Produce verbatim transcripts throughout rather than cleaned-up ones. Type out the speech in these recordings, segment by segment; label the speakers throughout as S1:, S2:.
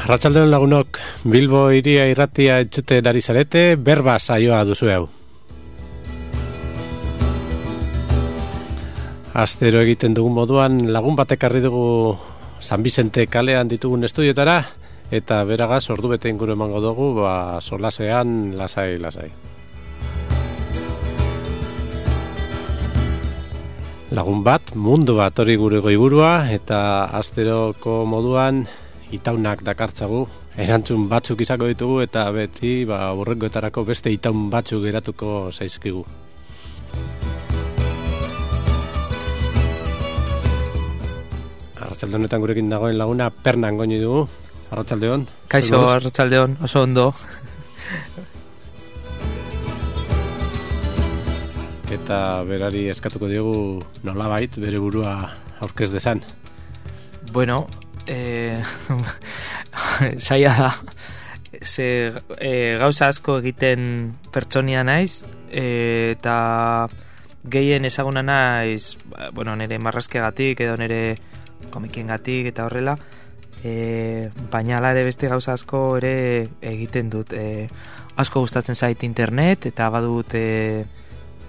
S1: Arratsaldeon lagunok, Bilbo hiria irratia entzute dari zarete, berba saioa duzu hau. Astero egiten dugun moduan lagun batek harri dugu San Bizente kalean ditugun estudiotara, eta beragaz ordu bete inguru emango dugu, ba, solasean lasai, lasai. Lagun bat, mundu bat hori gure goiburua, eta asteroko moduan itaunak dakartzagu, erantzun batzuk izango ditugu eta beti ba, urrengoetarako beste itaun batzuk geratuko zaizkigu. Arratsalde honetan gurekin dagoen laguna Pernan goini dugu. Arratsaldeon.
S2: Kaixo, arratsaldeon, oso ondo.
S1: Eta berari eskatuko diogu nolabait bere burua aurkez dezan.
S2: Bueno, Eh, saia da ze eh, gauza asko egiten pertsonia naiz eh, eta gehien ezaguna naiz, bueno, nire marrazkeagatik edo nire komikengatik eta horrela, eh, baina ala ere beste gauza asko ere egiten dut. Eh, asko gustatzen zait internet eta badut eh,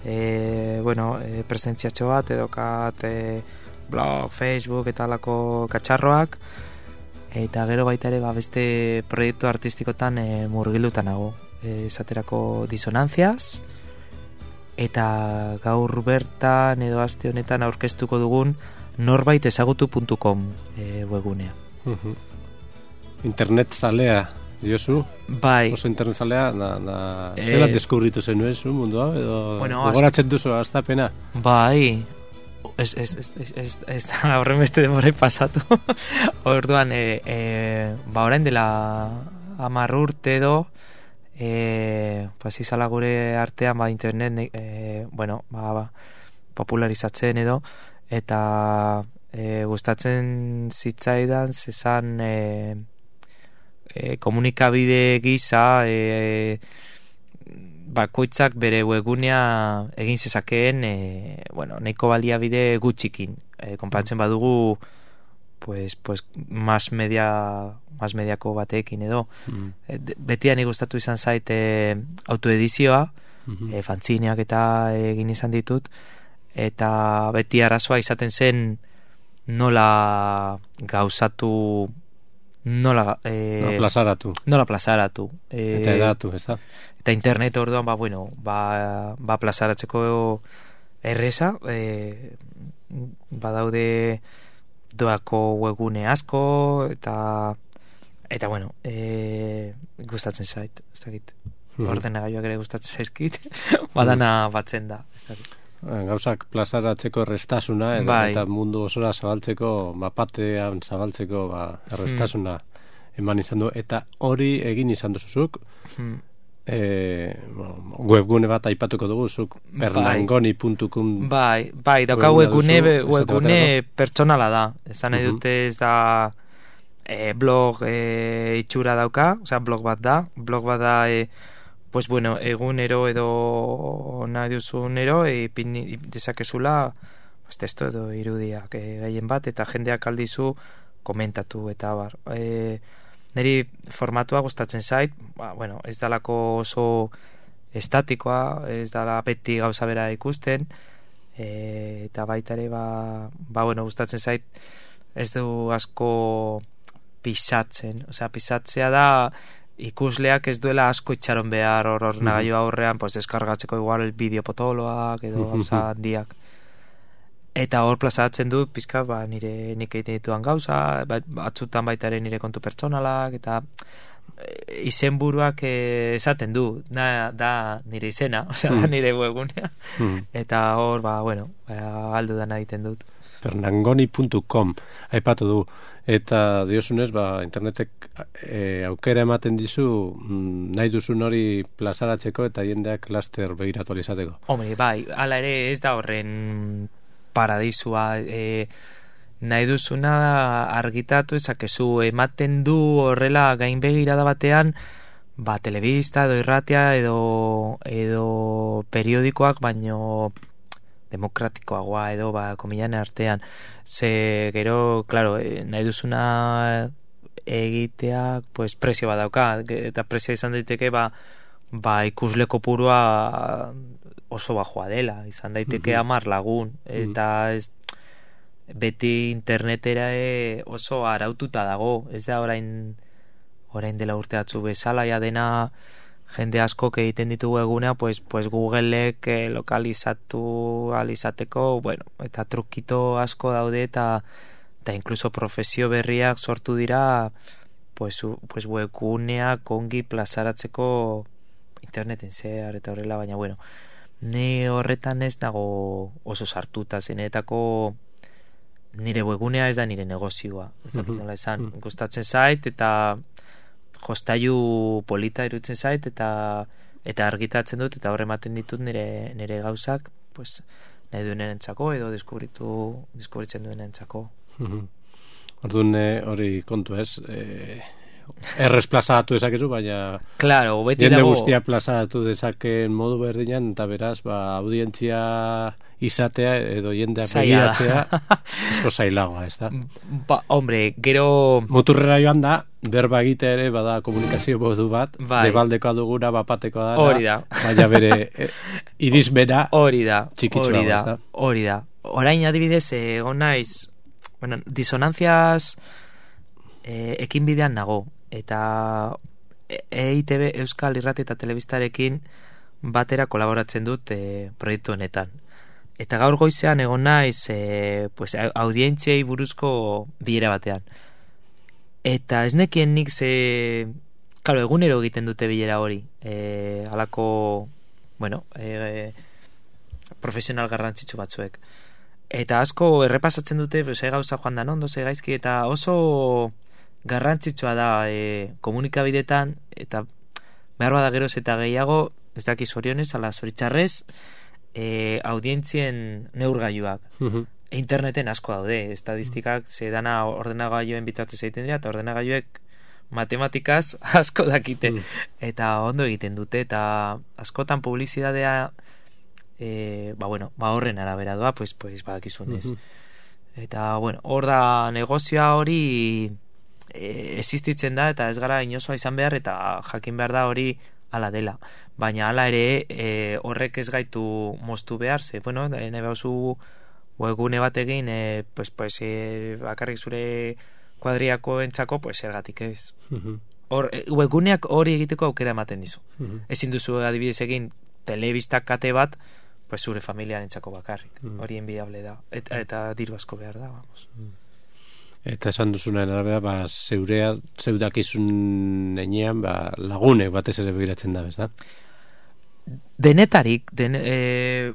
S2: eh, bueno, eh, presentziatxo bat edo kat eh, blog, Facebook eta alako katxarroak, eta gero baita ere ba, beste proiektu artistikotan e, murgilutan nago, e, esaterako disonantziaz, eta gaur bertan edo aste honetan aurkeztuko dugun norbait ezagutu puntu com e, webgunea.
S1: Uh-huh. Internet zalea diozu?
S2: Bai.
S1: Oso internet zalea, na, na,
S2: e...
S1: zela deskubritu zen nuezu mundua, edo
S2: bueno,
S1: gogoratzen duzu astapena?
S2: Bai, Ez, ez, ez, ez, ez, ez da horren beste demorai pasatu. Orduan, e, e, ba orain dela hamar urte edo, e, pues izala gure artean, ba internet, e, bueno, ba, ba, popularizatzen edo, eta e, gustatzen zitzaidan, zezan e, e, komunikabide gisa, e, bakoitzak bere webgunea egin zezakeen, e, bueno, nahiko baliabide gutxikin. E, konparatzen badugu, pues, pues, mas media, mas mediako batekin edo. Mm. E, betian gustatu izan zait e, autoedizioa, mm-hmm. e, fantzineak eta egin izan ditut, eta beti arazoa izaten zen nola gauzatu, nola, eh,
S1: nola plazaratu.
S2: Nola plazaratu.
S1: Eh, eta edatu, ez da?
S2: Eta internet orduan, ba, bueno, ba, ba plazaratzeko erreza, eh, badaude doako webgune asko, eta, eta bueno, eh, gustatzen zait, ez dakit. Mm-hmm. Ordenagailuak ere gustatzen zaizkit, badana batzen da, ez dakit.
S1: Gauzak plazaratzeko errestasuna edo,
S2: bai.
S1: Eta mundu osora zabaltzeko, bapatean zabaltzeko ba, errestasuna hmm. eman izan du, eta hori egin izan duzuzuk. Hmm. E, bueno, webgune bat aipatuko dugu, zuk pernangoni puntu com.
S2: Bai, bai, dauka webgune, webgune pertsonala da. Esan nahi dute ez da e, blog e, itxura dauka, osea blog bat da, blog bat da e, pues bueno, egunero edo nahi duzunero ipin dezakezula pues testo edo irudiak e, gehien bat, eta jendeak aldizu komentatu eta bar. E, niri formatua gustatzen zait, ba, bueno, ez dalako oso estatikoa, ez dala beti gauza bera ikusten, e, eta baita ere ba, ba bueno, gustatzen zait ez du asko pisatzen, osea pisatzea da ikusleak ez duela asko itxaron behar hor ordenagailu aurrean, pues deskargatzeko igual bideo potoloak edo gauza handiak. Eta hor plazaratzen dut pizka, ba, nire nik egiten dituan gauza, batzutan baita ere nire kontu pertsonalak, eta izenburuak eh, esaten du, da, da nire izena, osea, da nire webgunea. Eta hor, ba, bueno, ba, aldu dana egiten dut.
S1: pernangoni puntu com aipatu du, eta diosunez, ba, internetek e, aukera ematen dizu mm, nahi duzun hori plazaratzeko eta jendeak laster begiratu alizateko.
S2: Hombre, bai, ala ere ez da horren paradisua, e, nahi duzuna argitatu ezakezu, ematen du horrela gain begirada batean, ba, telebista edo irratia edo, edo periodikoak, baino demokratikoagoa edo ba, komilan artean, ze gero, claro, nahi duzuna egiteak pues presio bat dauka, eta presio izan daiteke ba, ba ikusle kopurua oso bajoa dela, izan daiteke hamar lagun, eta ez beti internetera oso araututa dago, ez da orain orain dela urte batzu bezala ja dena jende askok egiten ditugu egunea, pues, pues Googleek eh, lokalizatu alizateko, bueno, eta trukito asko daude, eta eta incluso profesio berriak sortu dira, pues, pues webguneak ongi plazaratzeko interneten zehar eta horrela, baina bueno, ni horretan ez nago oso sartuta, zenetako nire webgunea ez da nire negozioa, ez dakit nola esan, gustatzen zait, eta jostailu polita irutzen zait, eta eta argitatzen dut, eta horre ematen ditut nire, nire gauzak, pues, nahi duenen entzako, edo deskubritu, deskubritzen duen entzako.
S1: Orduan hori kontu ez, eh, errez plazatu dezakezu, baina
S2: claro, beti
S1: jende
S2: dago
S1: guztia plazatu dezaken modu berdinan, eta beraz, ba, audientzia izatea edo jendea begiratzea esko zailagoa, ez da?
S2: Ba, hombre, gero
S1: muturrera joan da, berba egite ere bada komunikazio modu bat,
S2: bai.
S1: Debaldekoa duguna, bapatekoa da,
S2: hori da,
S1: baina bere eh, irizmena
S2: hori da,
S1: txikitsua
S2: hori da,
S1: da,
S2: hori da. Orain adibidez, egon naiz, bueno, disonantziaz eh, ekin bidean nago, eta E I T B Euskal Irrati eta Telebistarekin batera kolaboratzen dut eh, proiektu honetan. Eta gaur goizean egon naiz eh, pues, audientziei buruzko bilera batean. Eta ez nekien nik ze... Claro, egunero egiten dute bilera hori. Eh, alako, bueno, eh, profesional garrantzitsu batzuek. Eta asko errepasatzen dute, ze gauza joan da ondo, ze gaizki, eta oso garrantzitsua da e, komunikabidetan, eta behar bada geroz eta gehiago, ez dakiz orionez, ala zoritxarrez, e, audientzien neurgailuak. Uh-huh. Interneten asko daude, estadistikak ze dana ordenagailoen bitartez egiten dira, eta ordenagailuek matematikaz asko dakite, uh-huh. eta ondo egiten dute, eta askotan publizidadea e, ba bueno, ba horren arabera doa, pues, pues badakizunez. Uh-huh. Eta, bueno, hor da negozioa hori e, existitzen da, eta ez gara inozoa izan behar, eta jakin behar da hori ala dela. Baina ala ere e, horrek ez gaitu moztu behar, ze, bueno, nahi bauzu webgune bat egin, e, pues, pues, e, bakarrik zure kuadriako entzako, pues, ergatik ez. Uh-huh. Hor, e, webguneak hori egiteko aukera ematen dizu. Uh-huh. Ezin duzu adibidez egin telebistak kate bat, pues, zure familiaren entzako bakarrik. Uh-huh. Hori enbiable da. Eta, eta diru asko behar da, vamos. Uh-huh.
S1: Eta esan duzunaren arabera, ba, zeurea, zeudakizun enean, ba, lagune batez ere begiratzen da, ez da?
S2: Denetarik, den, e,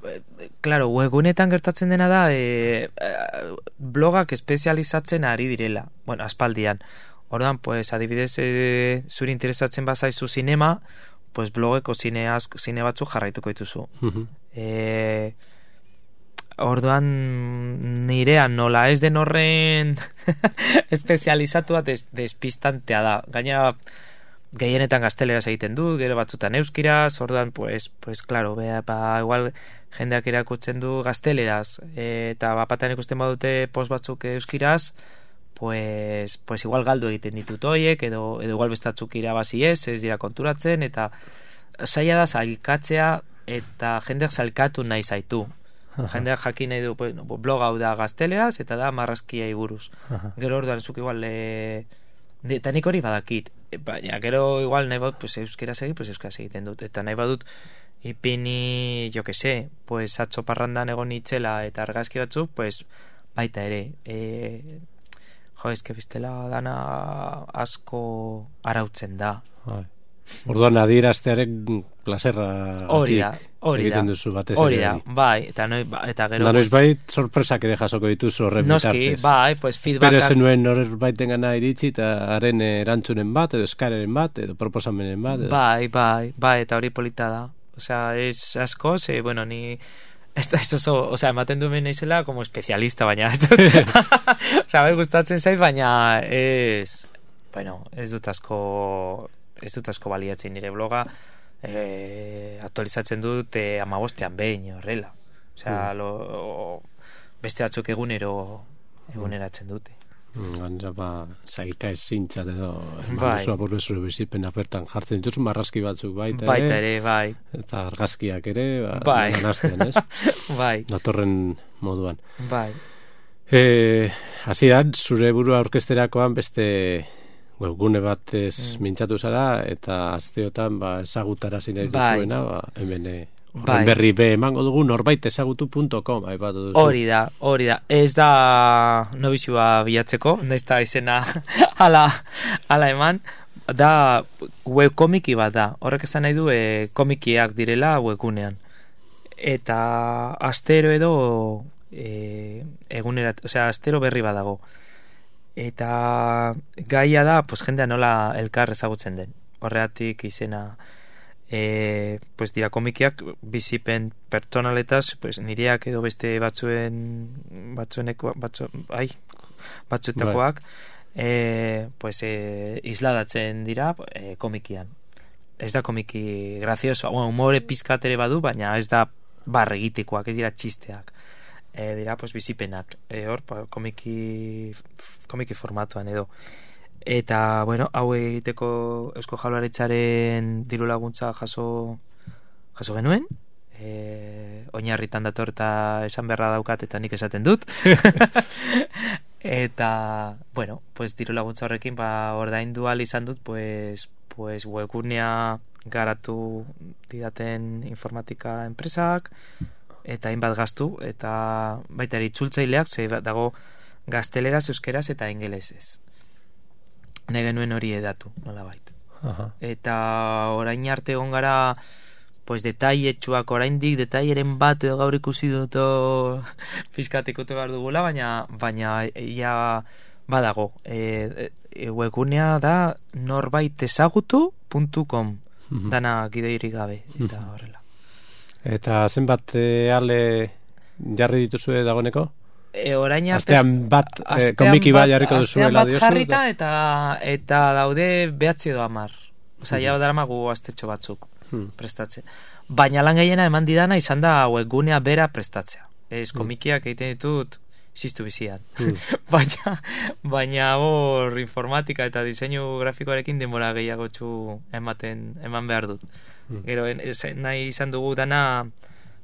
S2: claro, webgunetan gertatzen dena da, e, blogak espezializatzen ari direla, bueno, aspaldian. Ordan, pues, adibidez, e, zuri interesatzen bazaizu zinema, pues, blogeko zine, asko, zine batzuk jarraituko dituzu. Uh-huh. E, Orduan nirean nola ez den horren espezializatua des, despistantea da. Gaina gehienetan gazteleraz egiten du, gero batzutan euskiraz, orduan, pues, pues claro, bea, ba, igual jendeak irakutzen du gazteleraz, e, eta bapatan ikusten badute post batzuk euskiraz, pues, pues igual galdu egiten ditut hoiek, edo, edo igual bestatzuk irabazi ez, ez dira konturatzen, eta zaila da zailkatzea, eta jendeak zailkatu nahi zaitu. Jendeak jakin nahi du, pues, no, blog hau da gazteleaz, eta da marrazkiai buruz. Aha. Gero orduan zuk igual e, eta nik hori badakit, baina gero igual nahi badut pues, euskaraz egin, pues, euskaraz egiten dut, eta nahi badut ipini, jo que se, pues, atzo parrandan egon itxela eta argazki batzuk, pues, baita ere e, jo, eske bestela dana asko arautzen da. Hai.
S1: Orduan adieraztearen plazerra
S2: hori da, hori da, hori da, bai, eta, noi, eta gero...
S1: Da noiz bait, sorpresak ere jasoko dituzu horren
S2: bitartez. Noski, bai, pues feedbackan...
S1: Pero zenuen horren baiten gana iritsi, eta haren erantzunen bat, edo eskareren bat, edo proposamenen bat. Edo...
S2: Bai, bai, bai, eta hori polita da. Osea, es asko, ze, bueno, ni... Esta es oso, o sea, ematen duen naizela como especialista, baina... o sea, bai gustatzen zait, baina ez... Bueno, ez dut asko... ez dut asko baliatzen nire bloga, e, aktualizatzen dut e, amabostean behin horrela. Osea, mm. lo, beste batzuk egunero eguneratzen dute.
S1: Gainera, ba, zailka ezintzat edo,
S2: Bai.
S1: zua burbezure bizipena bertan jartzen dituzu marrazki batzuk baita ere.
S2: Baita ere, bai.
S1: Eta argazkiak ere, ba,
S2: Bai.
S1: ganazten, ez?
S2: Bai.
S1: Datorren moduan.
S2: Bai.
S1: E, hasieran zure burua orkesterakoan beste webgune batez mm. mintzatu zara, eta asteotan ba, ezagutarazi nahi duzuena, ba, hemen horren berri be emango dugu norbait ezagutu punto com aipatu duzu.
S2: Hori da, hori da. Ez da nobizioa bilatzeko, naiz da izena ala, ala eman, da webkomiki bat da. Horrek esan nahi du e, komikiak direla webgunean. Eta astero edo e, egunerat, osea, astero berri badago. Eta gaia da, pues jendea nola elkar ezagutzen den. Horregatik izena e, pues dira komikiak bizipen pertsonaletaz, pues nireak edo beste batzuen batzueneko batzu, ai, batzuetakoak e, pues e, isladatzen dira e, komikian. Ez da komiki grazioso, bueno, humore pizkat ere badu, baina ez da barregitikoak, ez dira txisteak. E, dira pues bizipenak e, hor pa, komiki komiki formatuan edo eta bueno hau egiteko Eusko Jaurlaritzaren diru laguntza jaso jaso genuen e, oinarritan dator eta esan beharra daukat eta nik esaten dut eta bueno pues diru laguntza horrekin ba ordaindu ahal izan dut pues pues webgunea garatu didaten informatika enpresak eta hainbat gastu, eta baita ere itzultzaileak, ze dago gazteleraz, euskeraz eta ingelesez. Ne genuen hori edatu, nolabait.
S1: Aha.
S2: Eta orain arte egon gara, pues detailetsuak oraindik, detaieren bat edo gaur ikusi dut pizkatikote behar dugula, baina baina ia badago. E, e, webgunea da norbait ezagutu puntu com, mm-hmm. dana gideirik gabe, eta horrela.
S1: Eta zenbat e, ale jarri dituzue dagoeneko?
S2: E, orain arte...
S1: Astean bat, e, komiki bat jarriko duzuela diozu?
S2: Astean bat jarrita eta, eta daude behatzi edo amar. Osa, ja daramagu astetxo batzuk hmm. prestatzen. Baina lan gehiena eman didana izan da webgunea bera prestatzea. Ez, komikiak egiten ditut ziztu bizian. Hmm. baina, baina hor informatika eta diseinu grafikoarekin denbora gehiago txu ematen, eman behar dut. Gero, nahi izan dugu dana,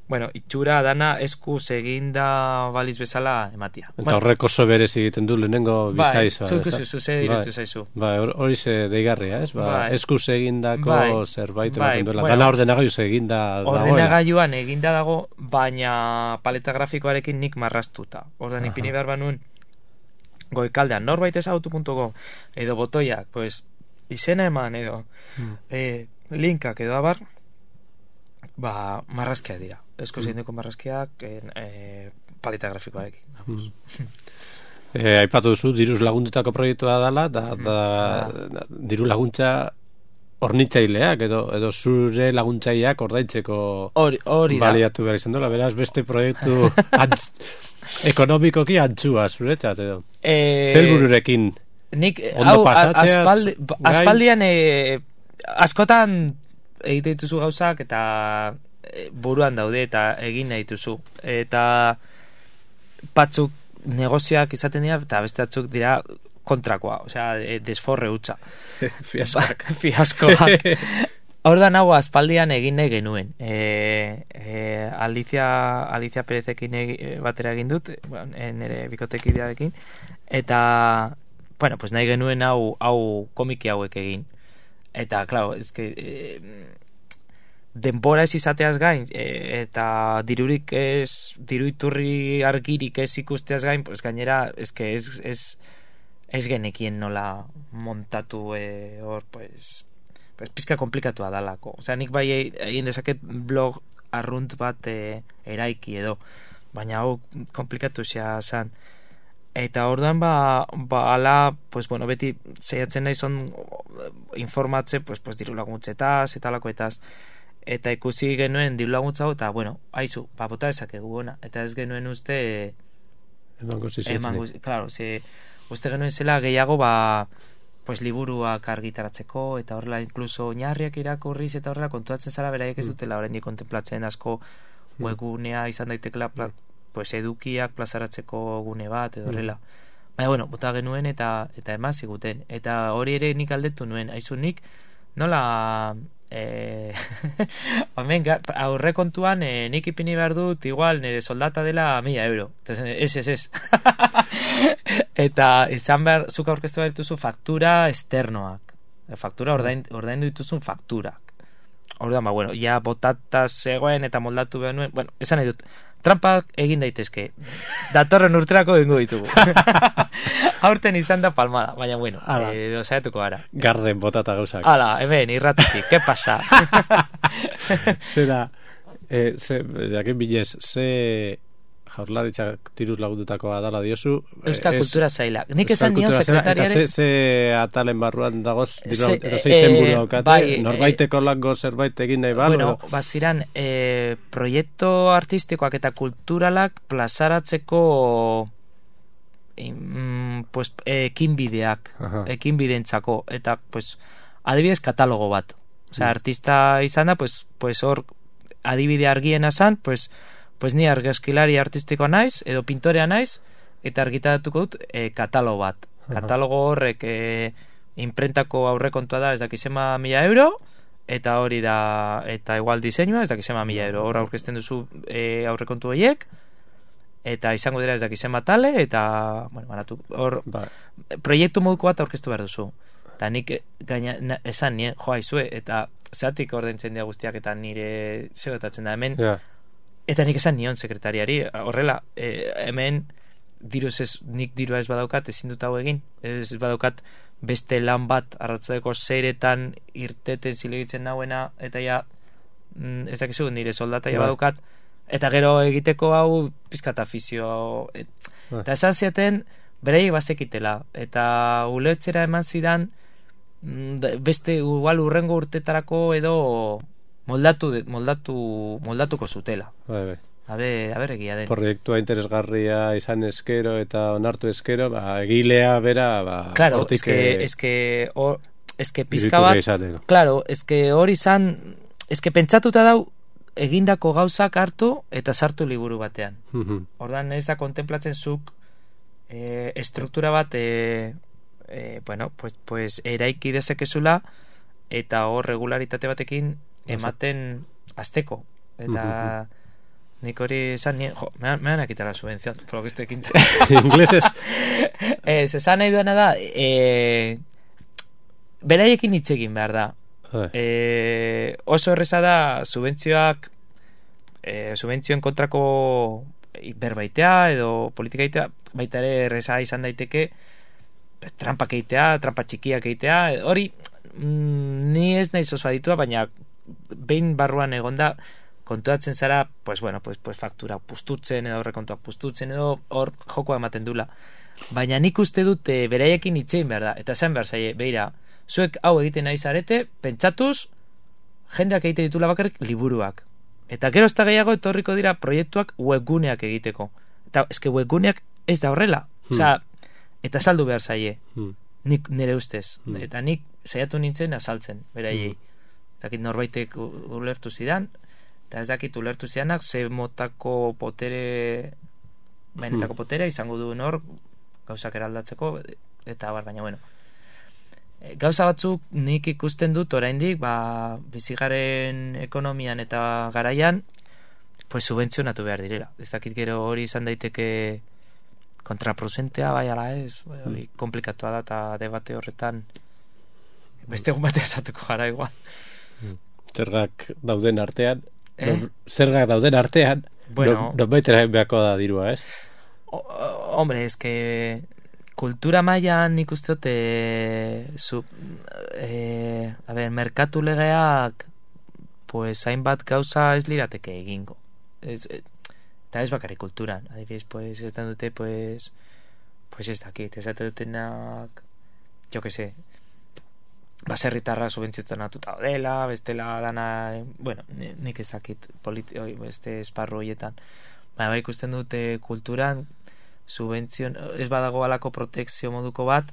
S2: bueno, itxura dana eskuz eginda baliz bezala ematia.
S1: Eta bueno, horrek oso berez egiten du lehenengo biztaiza.
S2: Bai, zuku zuzu, ze dirutu zaizu.
S1: Bai, hori ze deigarria, ez? Ba, bai. Eskuz egindako bai. zerbait bai. ematen duela. Bueno, dana ordenagaiuz eginda dagoela.
S2: Ordenagailuan eginda dago, baina paleta grafikoarekin nik marrastuta. Ordan ipini behar banuen goikaldean norbait ezagutu puntu com edo botoiak, pues, izena eman edo hmm. eh, linkak edo abar ba, marrazkiak dira esko mm. zeindeko marrazkiak e, paleta grafikoarekin mm.
S1: e, aipatu duzu diruz lagundutako proiektua dela da, da, da, diru laguntza hornitzaileak edo, edo zure laguntzaileak ordaitzeko
S2: hori, hori
S1: baliatu behar izan dola, beraz beste proiektu antz, ekonomikoki antzua zuretzat edo e, zelbururekin
S2: nik hau aspaldi, aspaldian e, askotan egite dituzu gauzak eta buruan daude eta egin nahi dituzu eta batzuk negozioak izaten dira eta beste batzuk dira kontrakoa, osea desforre hutsa
S1: fiaskoak
S2: fiaskoak Ordan hau aspaldian egin nahi genuen e, e, Alicia Alicia Perezekin batera egin dut nire bikotekidearekin eta bueno, pues nahi genuen hau, hau komiki hauek egin eta, claro, es que eh, denbora ez izateaz gain eh, eta dirurik ez diruiturri argirik ez ikusteaz gain, pues gainera es que ez, ez, ez genekien nola montatu eh, hor, pues pues pizka komplikatua dalako, osea nik bai egin dezaket blog arrunt bat eh, eraiki edo, baina hau komplikatu zea zan eta orduan ba, ba ala, pues bueno, beti zeiatzen nahi zon informatzen, pues, pues diru laguntzetaz eta lakoetaz, eta ikusi genuen diru laguntza eta bueno, haizu, ba bota ezakegu ona, eta ez genuen uste
S1: emango zizitzen
S2: claro, ze, uste genuen zela gehiago ba pues liburuak argitaratzeko eta horrela incluso oinarriak irakurriz eta horrela kontuatzen zara beraiek ez dutela oraindik kontemplatzen asko webgunea izan daitekela pues edukiak plazaratzeko gune bat edo horrela. Baina, bueno, bota genuen eta eta eman ziguten. Eta hori ere nik aldetu nuen. Aizu nik, nola... Eh, Hemen, aurrekontuan eh, nik ipini behar dut, igual, nire soldata dela mila euro. Ez, ez, ez. Eta izan behar, zuk aurkeztu behar dituzu faktura externoak. Faktura ordain, ordaindu dituzun fakturak. Orduan, ba, bueno, ja botata zegoen eta moldatu behar nuen. Bueno, esan nahi dut, trampak egin daitezke. Datorren urterako egingo ditugu. Aurten izan da palmada, baina bueno, eh, saiatuko gara.
S1: Garden botata gauzak.
S2: Hala, hemen, irratatik, ¿qué pasa?
S1: Zera, eh, ze, jakin bilez, ze jaurlaritzak tiruz lagundutakoa dala diozu.
S2: Euskal Kultura Zaila. Nik esan nion sekretariaren...
S1: Eta ze, ze atalen barruan dagoz, se, edo zei zen buru daukate, bai, norbaiteko lango zerbait egin nahi balo?
S2: Bueno, baziran, eh, proiektu artistikoak eta kulturalak plazaratzeko mm, pues, ekinbideak, ekinbidentzako, eta, pues, adibidez katalogo bat. Osea, artista izan da, pues, pues hor, adibide argiena zan, pues, pues ni argazkilari artistikoa naiz, edo pintorea naiz, eta argitaratuko dut e, katalogo bat. Katalogo horrek e, imprentako aurrekontua da, ez dakizema mila euro, eta hori da, eta igual diseinua, ez dakizema mila euro. Hor aurkezten duzu e, aurrekontu horiek, eta izango dira ez dakizema tale, eta, bueno, banatu, hor, ba. Proiektu moduko bat aurkeztu behar duzu. Eta nik gaina, na, esan nien, joa izue, eta zeatik ordaintzen dira guztiak, eta nire segatatzen da hemen, yeah. Eta nik esan nion sekretariari, horrela, eh, hemen diruz ez, nik dirua ez badaukat, ezin dut hau egin, ez badaukat beste lan bat arratzadeko zeiretan irteten zilegitzen nauena, eta ja, mm, ez dakizu, nire soldata ja badaukat, eta gero egiteko hau pizkat afizio, et, eta esan ziaten, beraiek bazekitela, eta ulertzera eman zidan, mm, beste, igual urrengo urtetarako edo... moldatu, moldatu, moldatuko zutela.
S1: Bai, bai.
S2: A ber, a ber egia den.
S1: Proiektua interesgarria izan eskero eta onartu eskero, ba, egilea bera, ba...
S2: Claro, eske, eske, or, eske pizka bat... Claro, eske hori izan, eske pentsatuta dau, egindako gauzak hartu eta sartu liburu batean. Ordan ez da kontemplatzen zuk e, estruktura bat, e, e, bueno, pues, pues eraiki dezakezula, eta hor regularitate batekin ematen azteko. Eta nik hori esan nien, jo, me van a quitar la subvención por lo que estoy quinto.
S1: Ingleses.
S2: eh, se esan nahi duena da, eh, beraiekin hitz egin behar da. Eh, oso erreza da subentzioak eh, subentzioen kontrako berbaitea edo politika egitea, baita ere erreza izan daiteke trampak egitea, trampa txikiak egitea, hori mm, ni ez nahi oso aditua, baina behin barruan egonda kontuatzen zara, pues bueno, pues, pues faktura pustutzen edo horrekontuak pustutzen edo hor jokoa ematen dula. Baina nik uste dut e, beraiekin hitzein behar da, eta zen behar zaie, beira, zuek hau egiten nahi zarete, pentsatuz, jendeak egite ditula bakarrik liburuak. Eta gero ez da gehiago etorriko dira proiektuak webguneak egiteko. Eta eske webguneak ez da horrela. Hmm. Osea, eta saldu behar zaie. Hmm. Nik nire ustez. Hmm. Eta nik saiatu nintzen azaltzen, beraiei. Hmm. Zakit norbaitek ulertu zidan, eta ez dakit ulertu zidanak ze motako potere benetako hmm. potere izango duen hor gauzak eraldatzeko, eta bar, baina bueno, gauza batzuk nik ikusten dut oraindik, ba, bizigaren ekonomian eta garaian pues subentzionatu behar direla. Ez dakit gero hori izan daiteke kontraproducentea, bai ala ez, bai, hori komplikatua da, eta debate horretan beste egun batean esatuko gara igual.
S1: Zergak dauden artean, eh? no, zergak dauden artean, bueno, no, no baitera beharko da dirua, ez?
S2: O, hombre, es que kultura mailan nik uste dut eh, zu, eh, a ver, merkatu legeak pues hainbat gauza ez lirateke egingo. Ez, eta ez bakarrik kulturan, adibidez, pues ez dute, pues pues ez dakit, ez dutenak jo que sé, baserritarra subentzionatuta dela, bestela dana, bueno, nik ez dakit politi- oi, beste esparru horietan. Baina bai ikusten dute kulturan subentzion, ez badago alako protekzio moduko bat,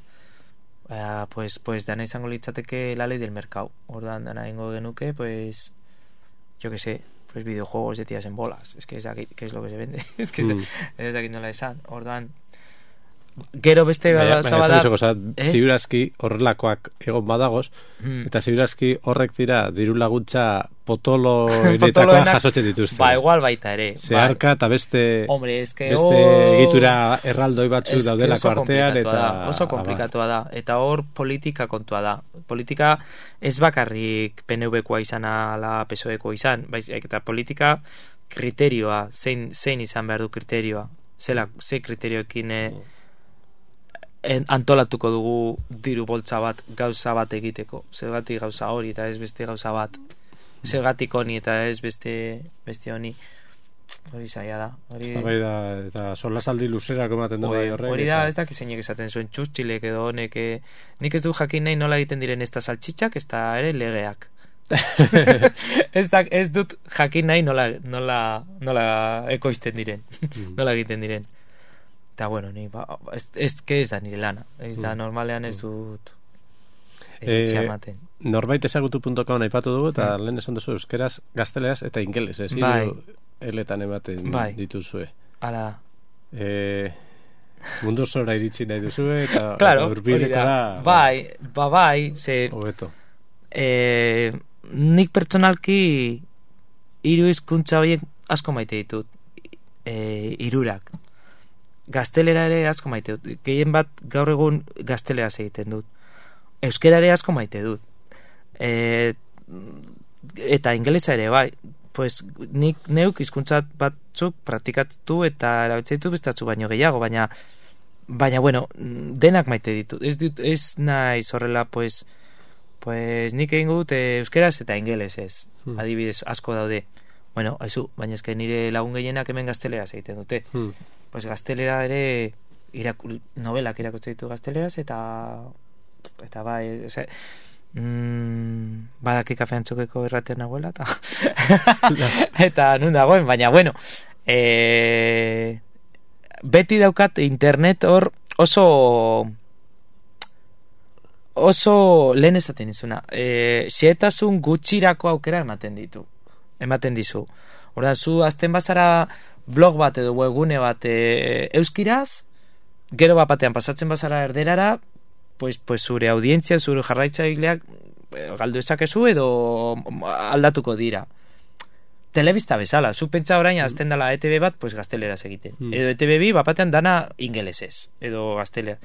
S2: eh, pues, pues dana izango litzateke la ley del mercado. Ordan dana ingo genuke, pues yo que sé, pues videojuegos de tías en bolas. Es que es aquí, ¿qué es lo que se vende? Es que mm. es aquí no la esan. Ordan Gero beste gauza bada...
S1: Eh? Ziurazki horrelakoak egon badagoz, hmm. eta ziurazki horrek dira diru laguntza potolo eretakoa jasotzen dituzte.
S2: Ba, igual baita ere.
S1: Zeharka eta beste,
S2: Hombre, eske,
S1: beste
S2: oh,
S1: egitura erraldoi batzuk daudelako artean. Eta,
S2: da, oso komplikatua da. Eta hor politika kontua da. Politika ez bakarrik P N V-koa izan ala P S O E-koa izan, baiz, eta politika kriterioa, zein, zein izan behar du kriterioa. Zela, ze kriterioekin... Eh, antolatuko dugu diru boltza bat gauza bat egiteko, zergatik gauza hori eta ez beste gauza bat, zergatik honi eta ez beste beste honi, hori zaila da hori
S1: da, eta solasaldi luzerako ematen du bai horrek
S2: hori da, ez da kizeinek esaten zuen Txustxilek edo honek, nik ez du jakin nahi nola egiten diren ez da saltxitxak, ez da ere legeak ez, da, ez dut jakin nahi nola, nola, nola ekoizten diren nola egiten diren. Eta, bueno, ni, ba, ez, ez, ez da nire lana. Ez da, normalean ez dut egitzea ematen.
S1: E, norbait ezagutu punto com aipatu dugu, eta mm. lehen esan duzu euskeraz, gazteleaz eta ingeles, ez?
S2: Bai.
S1: Eletan ematen bai. Dituzue.
S2: Hala.
S1: E, mundu zora iritsi nahi duzue, eta
S2: claro,
S1: urbilekora...
S2: Bai, ba, bai, ze...
S1: Hobeto.
S2: E, nik pertsonalki hiru hizkuntza horiek asko maite ditut. E, hirurak. Gaztelera ere asko maite dut. Gehien bat gaur egun gazteleraz egiten dut. Euskera ere asko maite dut. E, eta ingelesa ere, bai. Pues, nik neuk hizkuntza batzuk praktikatu eta erabiltzen ditu bestatzu baino gehiago, baina baina, bueno, denak maite ditu. Ez, dit, ez naiz horrela, pues, pues nik egin dut euskeraz eta ingelesez. Hmm. Adibidez, asko daude. Bueno, haizu, baina ezke nire lagun gehienak hemen gazteleraz egiten dute. Hmm. Pues gaztelera ere iraku, novelak irakurtzen ditu gazteleraz eta eta bai ose, mm, badaki kafean txokeko erratean nagoela eta eta nun dagoen, baina bueno e, beti daukat internet hor oso oso lehen ezaten izuna e, xehetasun gutxirako aukera ematen ditu ematen dizu orda zu azten bazara blog bat edo webgune bat e, euskiraz, gero bat batean pasatzen bazara erderara, pues, pues zure audientzia, zure jarraitzaileak e, galdu ezakezu edo aldatuko dira. Telebista bezala, zu pentsa orain azten dela E T B bat, pues gazteleraz egiten. Mm. Edo E T B bi bat batean dana ingelesez, edo gaztelera.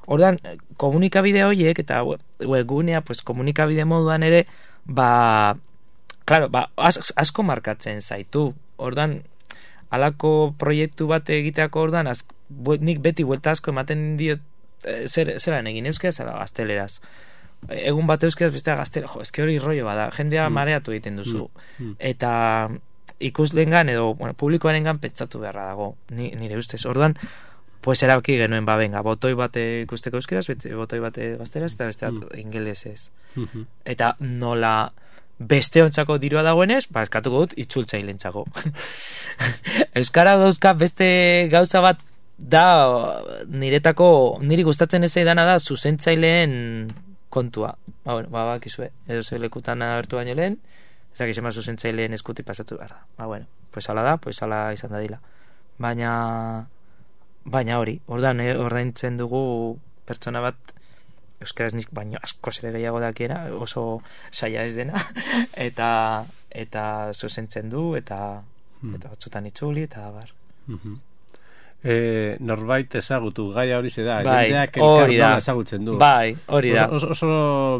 S2: Ordan komunikabide horiek eta webgunea, pues komunikabide moduan ere, ba, claro, ba, as, asko markatzen zaitu. Ordan halako proiektu bat egiteako ordan az, nik beti buelta asko ematen diot e, zer, zeran egin euskeraz ala gazteleraz. Egun bat euskeraz bestea gazteleraz, jo, eske hori rollo bada, jendea mm. mareatu egiten duzu. Mm. Mm. Eta ikuslengan edo bueno, publikoarengan pentsatu beharra dago, ni, nire ustez. Ordan, pues erabaki genuen ba, venga, botoi bat ikusteko euskeraz, botoi bat gazteleraz, eta beste mm. ingelesez. Mm-hmm. Eta nola... beste ontzako dirua dagoenez, ba, eskatuko dut itzultzailentzako. Euskara dauzka beste gauza bat da niretako, niri gustatzen ez dana da zuzentzaileen kontua. Ba, bueno, ba, bakizue, edo ze lekutan agertu baino lehen, ez dakiz ema zuzentzaileen eskuti pasatu behar da. Ba, bueno, pues ala da, pues ala izan dadila. Baina, baina hori, ordan, eh, ordaintzen dugu pertsona bat euskaraz nik baino asko zere gehiago dakiena, oso saia ez dena, eta eta zuzentzen du, eta hmm. eta batzutan itzuli, eta bar.
S1: Mm-hmm. E, norbait ezagutu, gaia hori ze da,
S2: bai,
S1: jendeak elkar ezagutzen du.
S2: Bai, hori da.
S1: Oso, oso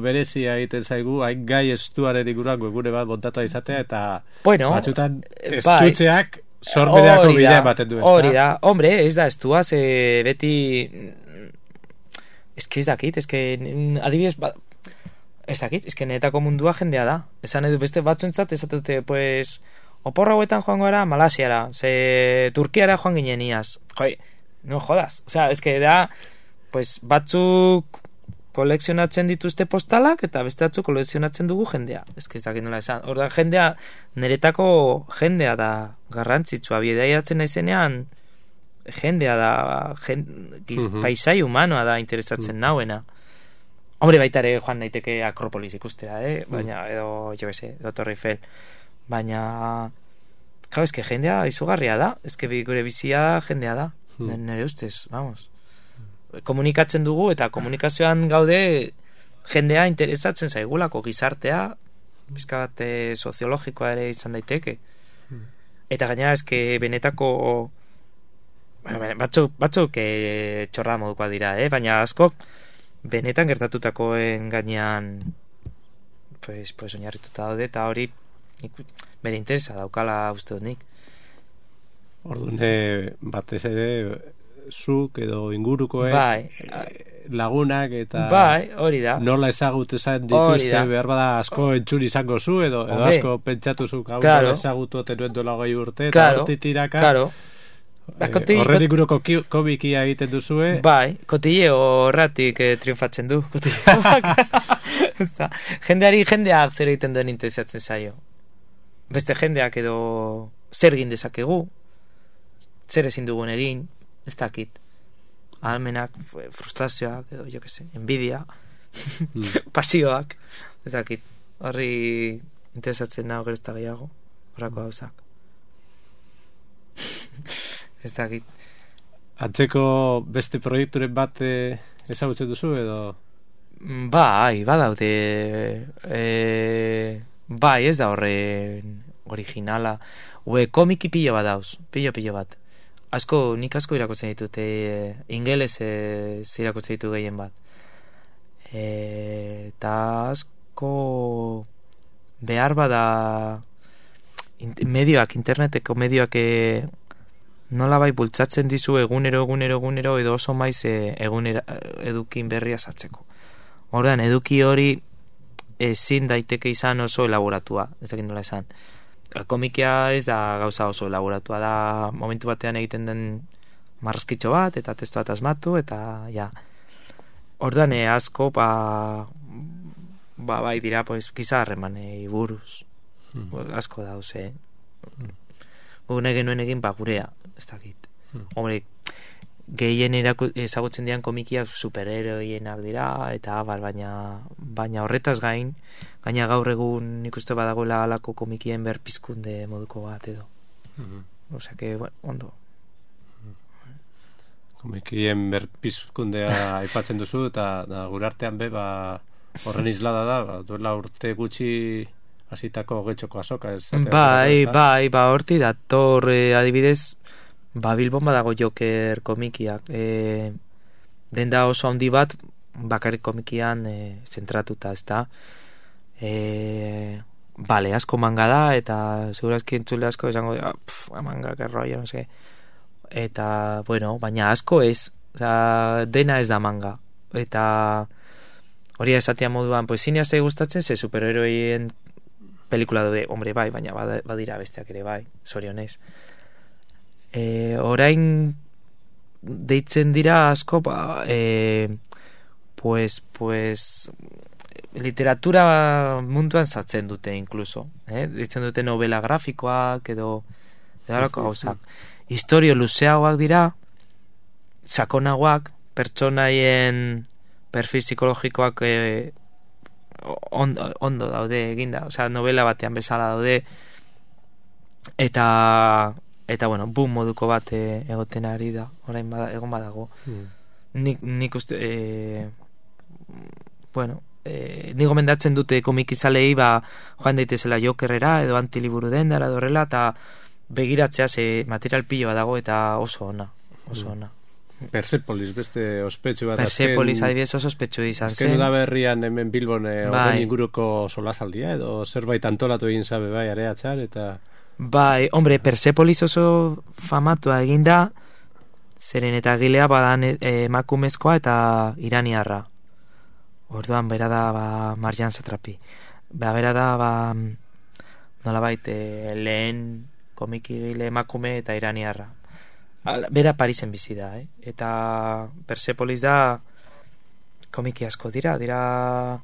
S1: berezia egiten zaigu, hain gai estuaren ikurak webgune bat montatu izatea, eta
S2: bueno,
S1: batzutan estutzeak bai, sorbereako bidea ematen du.
S2: Hori da, hombre, ez da estua, ze beti... Ez que ez dakit, ez que adibidez, ba, ez dakit, ez que netako mundua jendea da. Esan edu beste batzuntzat, ez dute, pues, oporra hauetan joan gara Malasiara, ze Turkiara joan ginen iaz. Joi, no jodas. O sea, ez que da, pues, batzuk kolekzionatzen dituzte postalak, eta beste batzuk kolekzionatzen dugu jendea. Ez que ez dakit nola esan. Horda, jendea, niretako jendea da garrantzitsua, bidaiatzen naizenean, jendea da gen, giz, uh-huh. paisai humanoa da interesatzen uh-huh. nauena. Hombre, baita ere joan naiteke Akropolis ikustera, eh? Baina, uh-huh. edo, jo bese, edo Torre Eiffel. Baina, claro, eske jendea izugarria da, eske gure bizia jendea da, uh-huh. nire ustez, vamos. komunikatzen dugu, eta komunikazioan gaude jendea interesatzen zaigulako, gizartea, bizka bat e, soziologikoa ere izan daiteke. Hmm. Eta gainera, eske benetako bueno, batzuk, batzuk e, txorra modukoa dira, eh? Baina askok benetan gertatutakoen gainean pues, pues oinarrituta daude, eta hori nik, bere interesa daukala uste dut nik.
S1: Orduan, batez ere zuk edo ingurukoek
S2: bai.
S1: lagunak eta
S2: bai, hori da.
S1: Nola ezagutu esan dituzte, behar bada asko entzun izango zu edo, edo asko pentsatu zuk hau claro. Ezagutu otenuen duela goi urte eta claro. Horti tiraka
S2: claro.
S1: eh, horren inguruko komikia egiten duzue
S2: bai, kotile horratik eh, triunfatzen du jendeari jendeak zer egiten duen interesatzen zaio, beste jendeak edo zer egin dezakegu, zer ezin dugun egin, ez dakit, almenak, frustrazioak, edo, jo que se, envidia, mm. pasioak, ez dakit, horri interesatzen nago gero ez da gehiago, horrako gauzak. Ez dakit.
S1: Atzeko beste proiekturen bat ezagutzen duzu, edo?
S2: Bai, badaude, e, bai, ez da horren originala, ue komiki pilo bat dauz, pilo pilo bat. Asko, nik asko irakurtzen ditut, e, ingeles e, irakurtzen ditu gehien bat. E, eta asko behar bada in, medioak, interneteko medioak e, nola bai bultzatzen dizu egunero, egunero, egunero, edo oso maiz e, egunera, edukin berria sartzeko. Ordan eduki hori ezin daiteke izan oso elaboratua, ez dakit nola esan. Komikia ez da gauza oso elaboratua, da momentu batean egiten den marrazkitxo bat, eta testu bat asmatu, eta ja. Ordan asko, ba, ba, bai dira, pues, gizarremanei buruz. Hmm. Asko dauz, eh? Hmm. Gune genuen egin, ba, gurea, ez dakit. Hmm. Hombre, gehien ezagutzen dian komikiak superheroienak dira, eta bar, baina, baina horretaz gain, gaina gaur egun nik uste badagoela alako komikien berpizkunde moduko bat edo. Mm-hmm. Osea que, bueno, ondo.
S1: Komikien berpizkundea aipatzen duzu, eta da, gure artean be, ba, horren islada da, ba, duela urte gutxi hasitako getxoko azoka. Ez,
S2: bai, bai, ba, horti dator eh, adibidez, ba, Bilbon badago Joker komikiak. E, denda oso handi bat, bakarrik komikian e, zentratuta, ez da. E, bale, asko manga da, eta segurazki entzule asko esango, ah, pff, manga, que rollo, no sé. Eta, bueno, baina asko ez, oza, dena ez da manga. Eta hori esatia moduan, pues zinea ze gustatzen, ze superheroien pelikula de, hombre, bai, baina badira besteak ere bai, zorionez. E, orain deitzen dira asko, ba, e, pues, pues, literatura munduan sartzen dute, incluso. Eh? Deitzen dute novela grafikoak, edo, edo gauzak. Historio luzeagoak dira, sakonagoak, pertsonaien perfil psikologikoak eh, ondo, ondo daude eginda, osea, novela batean bezala daude, eta eta bueno, boom moduko bat e, egoten ari da, orain bada, egon badago. Mm. Nik, nik uste e, bueno, e, nik gomendatzen dute komikizalei, ba, joan daitezela Jokerrera edo Antiliburu dendara edo horrela, eta begiratzea ze material pilo bat dago eta oso ona, oso ona.
S1: Persepolis beste ospetsu bat.
S2: Persepolis adibidez oso ospetsu izan zen.
S1: Azken udaberrian hemen Bilbon e, bai. Inguruko solasaldia edo zerbait antolatu egin zabe bai areatzar eta...
S2: Bai, hombre, Persepolis oso famatua eginda, zeren eta gilea badan emakumezkoa eta iraniarra. Orduan bera da ba, Marjan Satrapi. Ba, bera da ba, nolabait e, lehen komiki gile emakume eta iraniarra. Bera Parisen bizi da, eh? Eta Persepolis da komiki asko dira, dira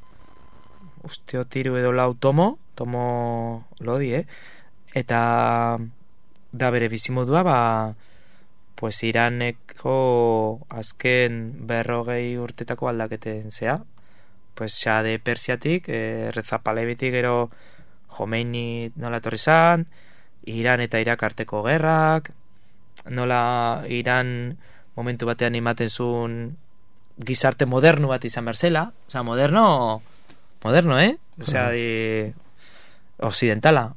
S2: usteo tiru edo lau tomo, tomo lodi, eh? Eta da bere bizimodua, ba, pues Iraneko azken berrogei urtetako aldaketen zea, pues Xade Persiatik, eh, Reza Palevitik, gero Jomeini nola etorri zan, Iran eta Irak arteko gerrak, nola Iran momentu batean ematen zuen gizarte moderno bat izan berzela, osea, moderno moderno, eh? Osea, di occidentala,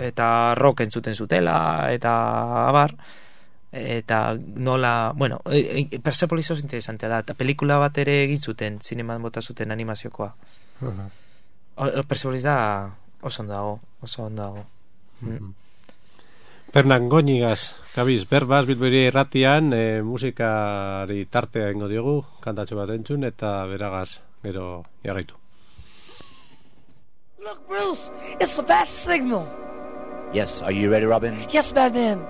S2: eta rock entzuten zutela, eta abar, eta nola, bueno, e, e, Persepolis oso interesantea da, eta pelikula bat ere egin zuten, zineman bota zuten animaziokoa. Uh-huh. Persepolis da oso ondo dago, oso ondo dago. Mm.
S1: Pernan Goñigas, gabiz, berbaz, bilbiri erratian, e, musikari tartea ingo diogu, kantatxo bat entzun, eta beragaz, gero jarraitu.
S3: Look, Bruce, it's the bat signal.
S4: Yes, are you ready, Robin?
S3: Yes, Batman.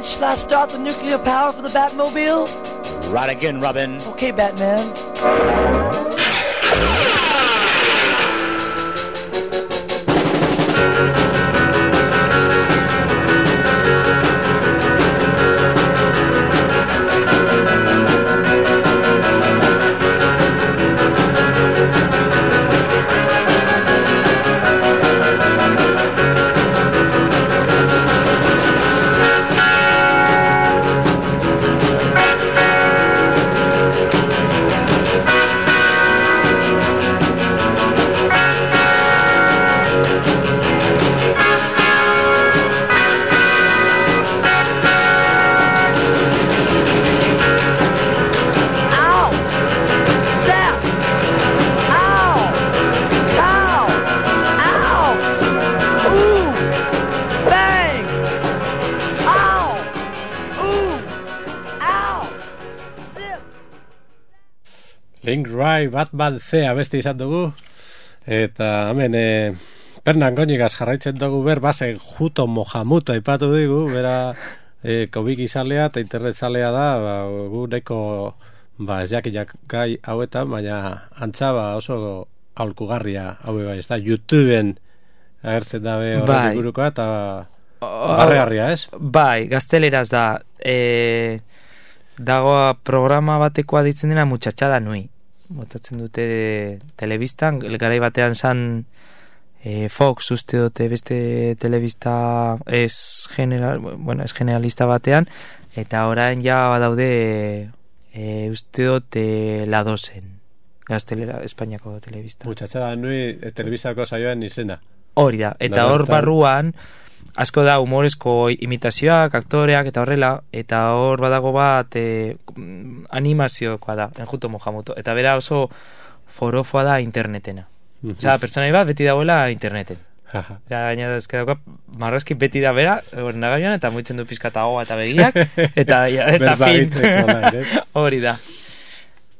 S3: Shall I start the nuclear power for the Batmobile?
S4: Right again, Robin.
S3: Okay, Batman.
S1: Link Ray Batman Zea beste izan dugu, eta hemen e, Pernan Goñigas jarraitzen dugu ber, bazen Juto Mohamuto aipatu digu, bera e, komiki zalea eta internet zalea da, ba, gu neko ba, ez jakinak gai hauetan, baina antza ba, oso aholkugarria haue bai, ez da, YouTubeen agertzen dabe horretik burukoa, eta barregarria, ez?
S2: Bai, gazteleraz da, e, dagoa programa batekoa ditzen dena Muchachada Nui. Botatzen dute telebistan, garai batean zan e, Fox uste dute beste telebista ez general, bueno, ez generalista batean, eta orain ja badaude e, uste dute La Dosen, gaztelera Espainiako telebista.
S1: Muchachada Nui e, telebistako saioan izena.
S2: Hori da, eta hor barruan asko da humorezko imitazioak, aktoreak eta horrela, eta hor badago bat e, animaziokoa da, Enjuto Mohamuto, eta bera oso forofoa da internetena. Mm-hmm. Osa, pertsonai bat beti dagoela interneten. Eta gaina da, ezke dauka, marrazki beti da bera, nagaian, eta muitzen du pizkatagoa eta begiak, eta, eta fin. Hori da.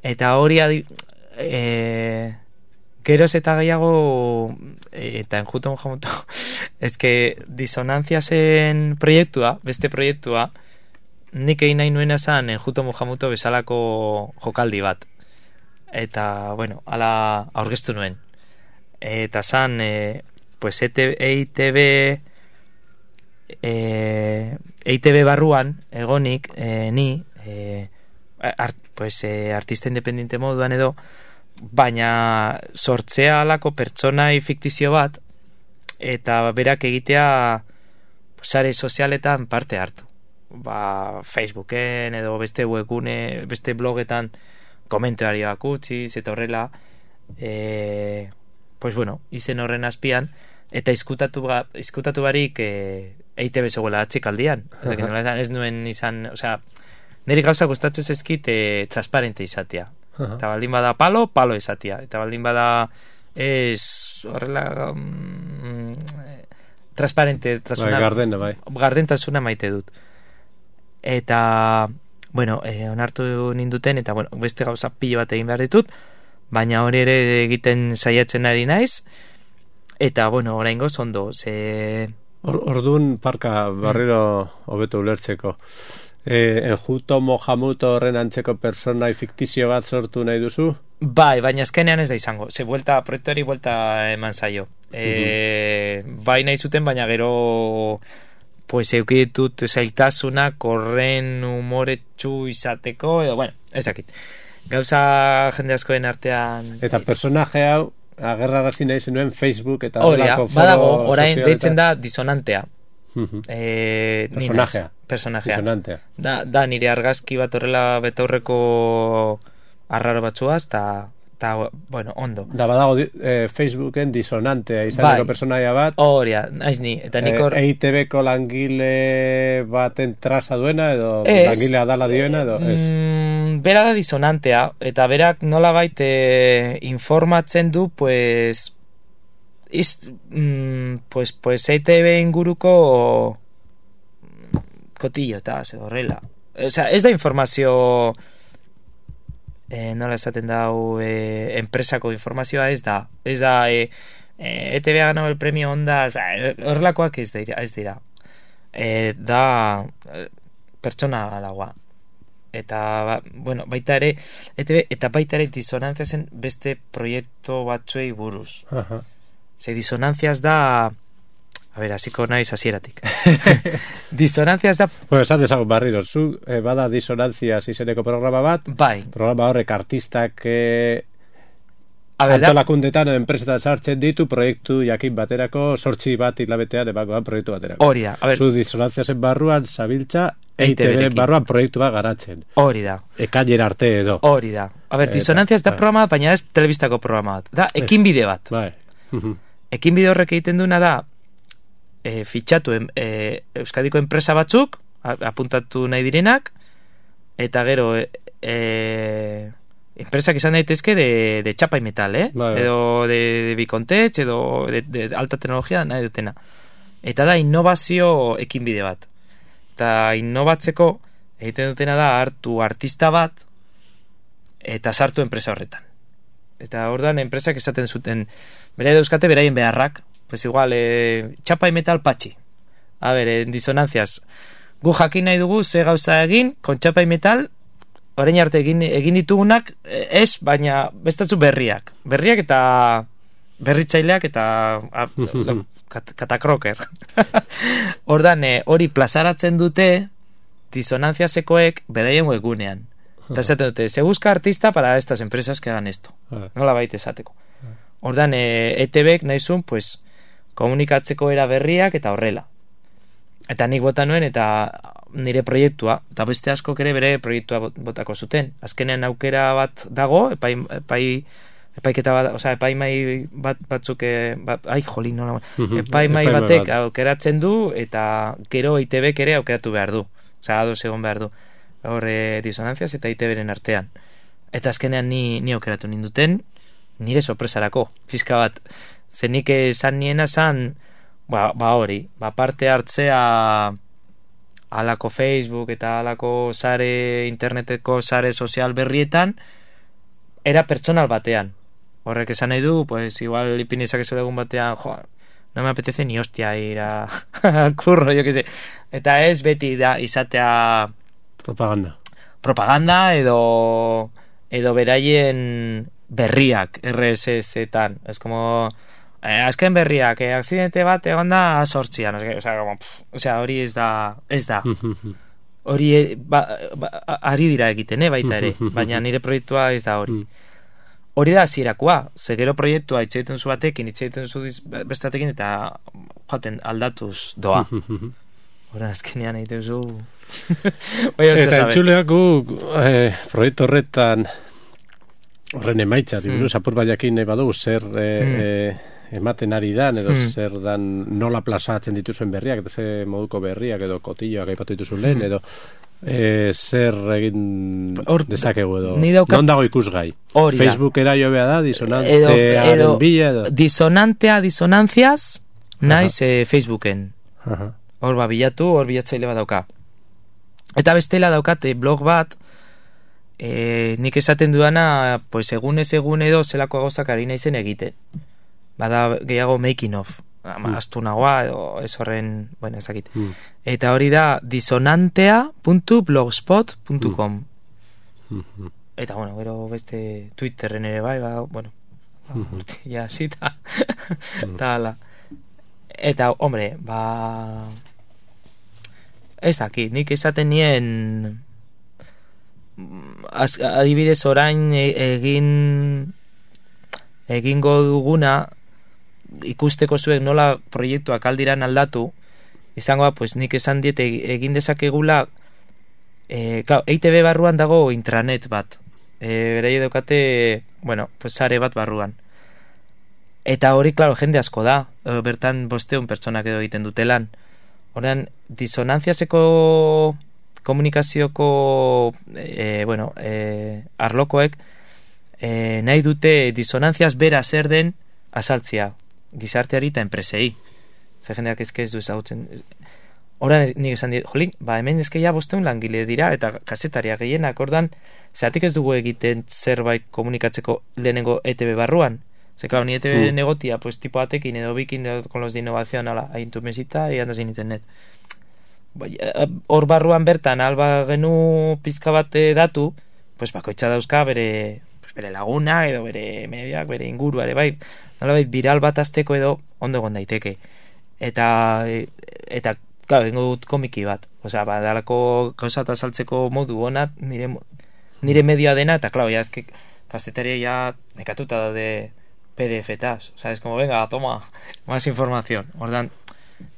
S2: Eta hori adi... E, geroz eta gehiago eta Enjuto Mohamuto ezke disonantzia zen proiektua, beste proiektua nik egin nahi nuena zan Enjuto Mohamuto bezalako jokaldi bat, eta bueno, ala aurkeztu nuen, eta zan e, pues E I T B e, E I T B barruan egonik e, ni e, art, pues, e, artista independiente moduan edo, baina sortzea alako pertsonai fiktizio bat eta berak egitea sare sozialetan parte hartu, ba, Facebooken edo beste webgune, beste blogetan komentarioak utziz eta horrela e, pues bueno, izen horren azpian eta izkutatu, ba, izkutatu barik e, E I T B zegoela atxikaldian. Uh-huh. Ez nuen izan, osea, niri gauza gustatzen zezkit e, transparente izatea. Uh-huh. Eta baldin bada palo, palo izatea. Eta baldin bada ez horrela um, transparente,
S1: bai, gardena, bai.
S2: Gardentasuna maite dut. Eta bueno, eh, onartu ninduten, eta bueno, beste gauza pilo bat egin behar ditut, baina hori ere egiten saiatzen ari naiz, eta bueno, oraingoz ondo, ze...
S1: Or, ordun parka barriro hobeto ulertzeko. Eh, Enjuto Mohamuto horren antzeko personai fiktizio bat sortu nahi duzu?
S2: Bai, baina azkenean ez da izango. Ze vuelta, proiektuari vuelta eman zaio. E, uh-huh. Bai nahi zuten, baina gero pues euki ditut zailtasuna korren humoretsu izateko, edo, bueno, ez dakit. Gauza jende askoen artean...
S1: Eta personaje hau, agerrarazi nahi zenuen Facebook eta
S2: Horia, badago, orain deitzen
S1: eta...
S2: da disonantea.
S1: Uh-huh.
S2: Eh,
S1: personajea.
S2: Ninas, personajea.
S1: Disonantea.
S2: Da, da nire argazki bat horrela betaurreko arraro batzuaz, eta, ta, bueno, ondo.
S1: Da, badago eh, Facebooken disonantea izaneko bai. Personaia bat.
S2: Horia, naiz ni. Eta nikor...
S1: E I T B-ko langile baten traza duena, edo
S2: es,
S1: langilea dala dioena, edo ez?
S2: Mm, bera da disonantea, eta berak nolabait eh, informatzen du, pues... Iz, mm, pues, pues E I T B inguruko kotillo eta horrela, o sea, ez da informazio eh, nola esaten dau eh, enpresako informazioa ez da ez da eh, eh, E T B ha ganado el premio Onda, o sea, horrelakoak ez dira, ez dira. Eh, da eh, pertsona galagoa eta ba, bueno, baita ere E T B eta baita ere disonantzia zen beste proiektu batzuei buruz.
S1: Aha.
S2: Ze disonantziaz da... A ber, hasiko naiz hasieratik. Disonantziaz da...
S1: Bueno, esan dezagun barriro, zu eh, bada disonantziaz izeneko programa bat,
S2: bai.
S1: Programa horrek artistak eh, antolakundetan, enpresetan sartzen ditu, proiektu jakin baterako, sortzi bat hilabetean ebakoan proiektu baterako.
S2: Hori da, a ber...
S1: Zu disonantziazen barruan, zabiltza, E I T B barruan proiektu bat garatzen.
S2: Hori da.
S1: Ekailera arte edo.
S2: Hori da. A ber, disonantziaz da programa bat, baina ez telebistako programa bat. Da, ekin bide bat.
S1: Bai.
S2: Ekin bide horrek egiten duena da e, fitxatu e, Euskadiko enpresa batzuk apuntatu nahi direnak eta gero e, e, enpresak izan daitezke de, de chapa y metal, eh?
S1: Bai.
S2: Edo de, de bikontech edo de, de alta tecnologia nahi dutena, eta da innovazio ekin bide bat, eta innovatzeko egiten dutena da hartu artista bat eta sartu enpresa horretan. Eta ordan enpresak esaten zuten bere dauzkate beraien beharrak, pues igual eh, chapa y metal patxi. A ber, en disonantziaz gu jakin nahi dugu ze gauza egin kon chapa y metal, orain arte egin, egin ditugunak ez, baina bestatzu berriak berriak eta berritzaileak eta a, kat, katakroker. Ordan hori eh, plazaratzen dute disonantziazekoek beraien webgunean. Eta esaten dute, se busca artista para estas empresas que hagan esto. Nola baita esateko. Ordan, e, E T Bek nahizun, pues, komunikatzeko era berriak eta horrela. Eta nik bota nuen, eta nire proiektua, eta beste askok ere bere proiektua botako zuten. Azkenean aukera bat dago, epai, epai, epaiketa bat, oza, epaimai bat, batzuk, bat, ai, joli, nola, epaimai batek bat. Aukeratzen du, eta gero E T Bek ere aukeratu behar du. Oza, ados egon behar du. Horre disonantziaz eta I T Beren artean. Eta azkenean ni, ni aukeratu ninduten, nire sorpresarako, fiska bat. Zenik esan niena zan, ba, ba hori, ba parte hartzea alako Facebook eta alako sare, interneteko sare sozial berrietan, era pertsonal batean. Horrek esan nahi du, pues igual ipinizak eso egun batean, jo, no me apetece ni hostia ir a, al curro, yo que sé. Eta ez beti da izatea
S1: propaganda.
S2: Propaganda edo edo beraien berriak R S S-etan. Es como eh, azken berriak, eh, aksidente bat egon da sortzian, o sea, como, pff, o sea, hori ez da ez da. Hori ba, ba, ari dira egiten, eh, baita ere, baina nire proiektua ez da hori. Hori da hasierakoa, ze gero proiektua hitz egiten zu batekin, hitz egiten zu bestatekin eta joaten aldatuz doa. Hora azkenean egiten zu.
S1: Eta entzuleak gu eh, proiektu horretan horren emaitza, mm. apur baiakin nahi badugu zer eh, mm. eh, ematen ari dan, edo mm. zer dan nola plazatzen dituzuen berriak, eta ze moduko berriak, edo kotilloak aipatu dituzuen lehen, edo eh, zer egin Or, dezakegu edo daukat... non dago ikusgai. Facebookera jo beha da, disonantearen bila edo
S2: disonantea disonantziaz naiz eh, Facebooken. Hor ba bilatu, hor bilatzaile bat dauka. Eta bestela daukate blog bat, e, nik esaten duana, pues egunez egun edo zelako gauzak ari naizen egiten. Bada gehiago making of. Mm. Astu nagoa, edo ez horren, bueno, ezakit. Mm. Eta hori da disonantea puntu blogspot puntu com. Mm. Eta, bueno, gero beste Twitterren ere bai, ba, bueno, mm-hmm. ja, zita. Eta, ala. Eta, hombre, ba... Ez dakit, nik esaten nien... Az, adibidez orain egin... Egingo duguna... ikusteko zuek nola proiektuak aldiran aldatu, izangoa, pues nik esan diet egin dezakegula, e, claro, E I Te Be barruan dago intranet bat, e, berai daukate, bueno, pues sare bat barruan. Eta hori, claro, jende asko da, bertan bosteun pertsonak edo egiten dutelan. Horrean, disonantziazeko komunikazioko, e, bueno, e, arlokoek, e, nahi dute disonantziaz bera zer den asaltzia. Gizarteari eta enpresei. Zer jendeak ezke ez du ezagutzen. Horan nik esan dit, jolin, ba hemen ezke ja bosteun langile dira eta kasetaria gehienak, ordan, zeratik ez dugu egiten zerbait komunikatzeko lehenengo E Te Be barruan. Zer, claro, ni E Te Be mm. negotia, pues tipo atekin edo bikin edo con los de innovación, ala, hain tu mesita y andas en internet. Hor barruan bertan, alba genu pizka bat datu, pues bakoitza dauzka bere, pues, bere laguna edo bere mediak, bere ingurua ere bai, nolabait viral bat azteko edo ondo egon daiteke. Eta, eta, claro, bengo dut komiki bat. Osea, badalako gauza eta saltzeko modu ona, nire, nire medioa dena, eta, claro, ya es que kastetaria ya nekatuta daude P D F-taz. Osea, es como, venga, toma, más información. Ordan,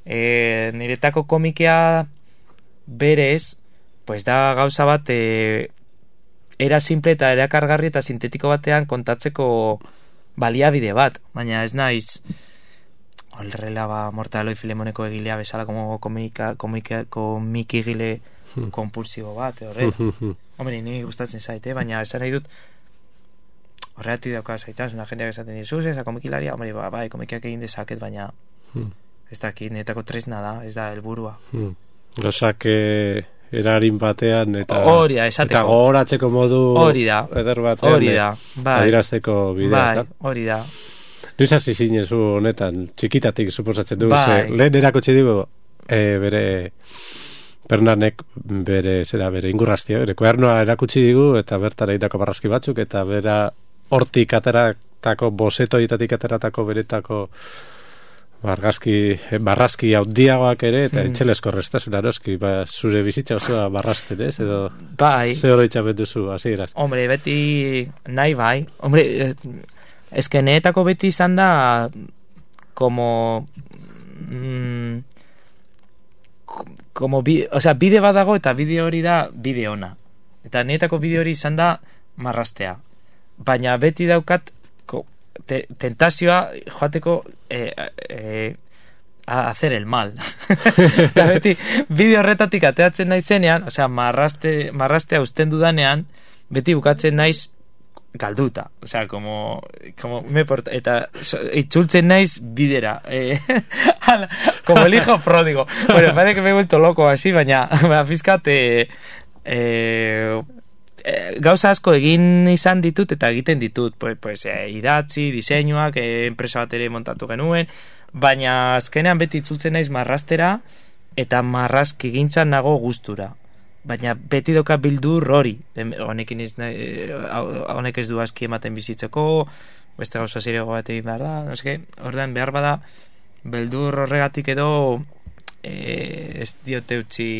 S2: eh, niretako komikia berez, pues da gauza bat, eh, era simple eta era kargarri eta sintetiko batean kontatzeko baliabide bat, baina ez naiz horrela ba Mortadelo y Filemoneko egilea bezala como komika, komika, komiki egile kompulsibo bat, horrela. Hombre, ni gustatzen zaite, baina esan nahi dut horregatik dauka zaitaz, una jendeak esaten dizuz, esa komikilaria, hombre, ba, bai, komikiak egin dezaket, baina ez dakit, netako tresna da, ez da helburua.
S1: Gozak erarin batean eta
S2: hori da, esateko.
S1: Eta gogoratzeko modu
S2: hori da,
S1: eder batean.
S2: Hori da, bai.
S1: Adirazteko bidea,
S2: bai, hori da.
S1: Nuiz hasi zinezu honetan, txikitatik suposatzen du,
S2: bai.
S1: ze, lehen erakutsi digu e, bere Bernanek bere, zera, bere ingurraztia, bere kuadernoa erakutsi digu eta bertara itako barraski batzuk eta bera hortik ateratako, bosetoietatik ateratako beretako Barrazki, barrazki haudiagoak ere, eta hmm. etxelesko restasun aroski, ba, zure bizitza osoa barrazten, ez? Edo,
S2: bai.
S1: Ze hori duzu, hasieran.
S2: Hombre, beti nahi bai. Hombre, ezkeneetako beti izan da, como, mm, como, bi, o sea, bide badago eta bide hori da bide ona. Eta nietako bide hori izan da marrastea. Baina beti daukat, Te, tentazioa joateko eh, eh, a hacer el mal. Eta beti bideo horretatik ateatzen naizenean, osea, marraste, marrastea usten dudanean, beti bukatzen naiz galduta. Osea, como, como me porta, eta so, itzultzen naiz bidera. Eh, como el hijo pródigo. Bueno, parece que me he vuelto loco así, baina, baina fizkat, eh, eh, gauza asko egin izan ditut eta egiten ditut, pues, pues eh, idatzi, diseinuak, eh, enpresa bat ere montatu genuen, baina azkenean beti itzultzen naiz marrastera eta marrazki gintzan nago gustura, baina beti doka bildur hori, honekin ez, honek ez du aski ematen bizitzeko, beste gauza zirego bat egin behar da, no seke, ordean behar bada beldur horregatik edo eh, ez diote utzi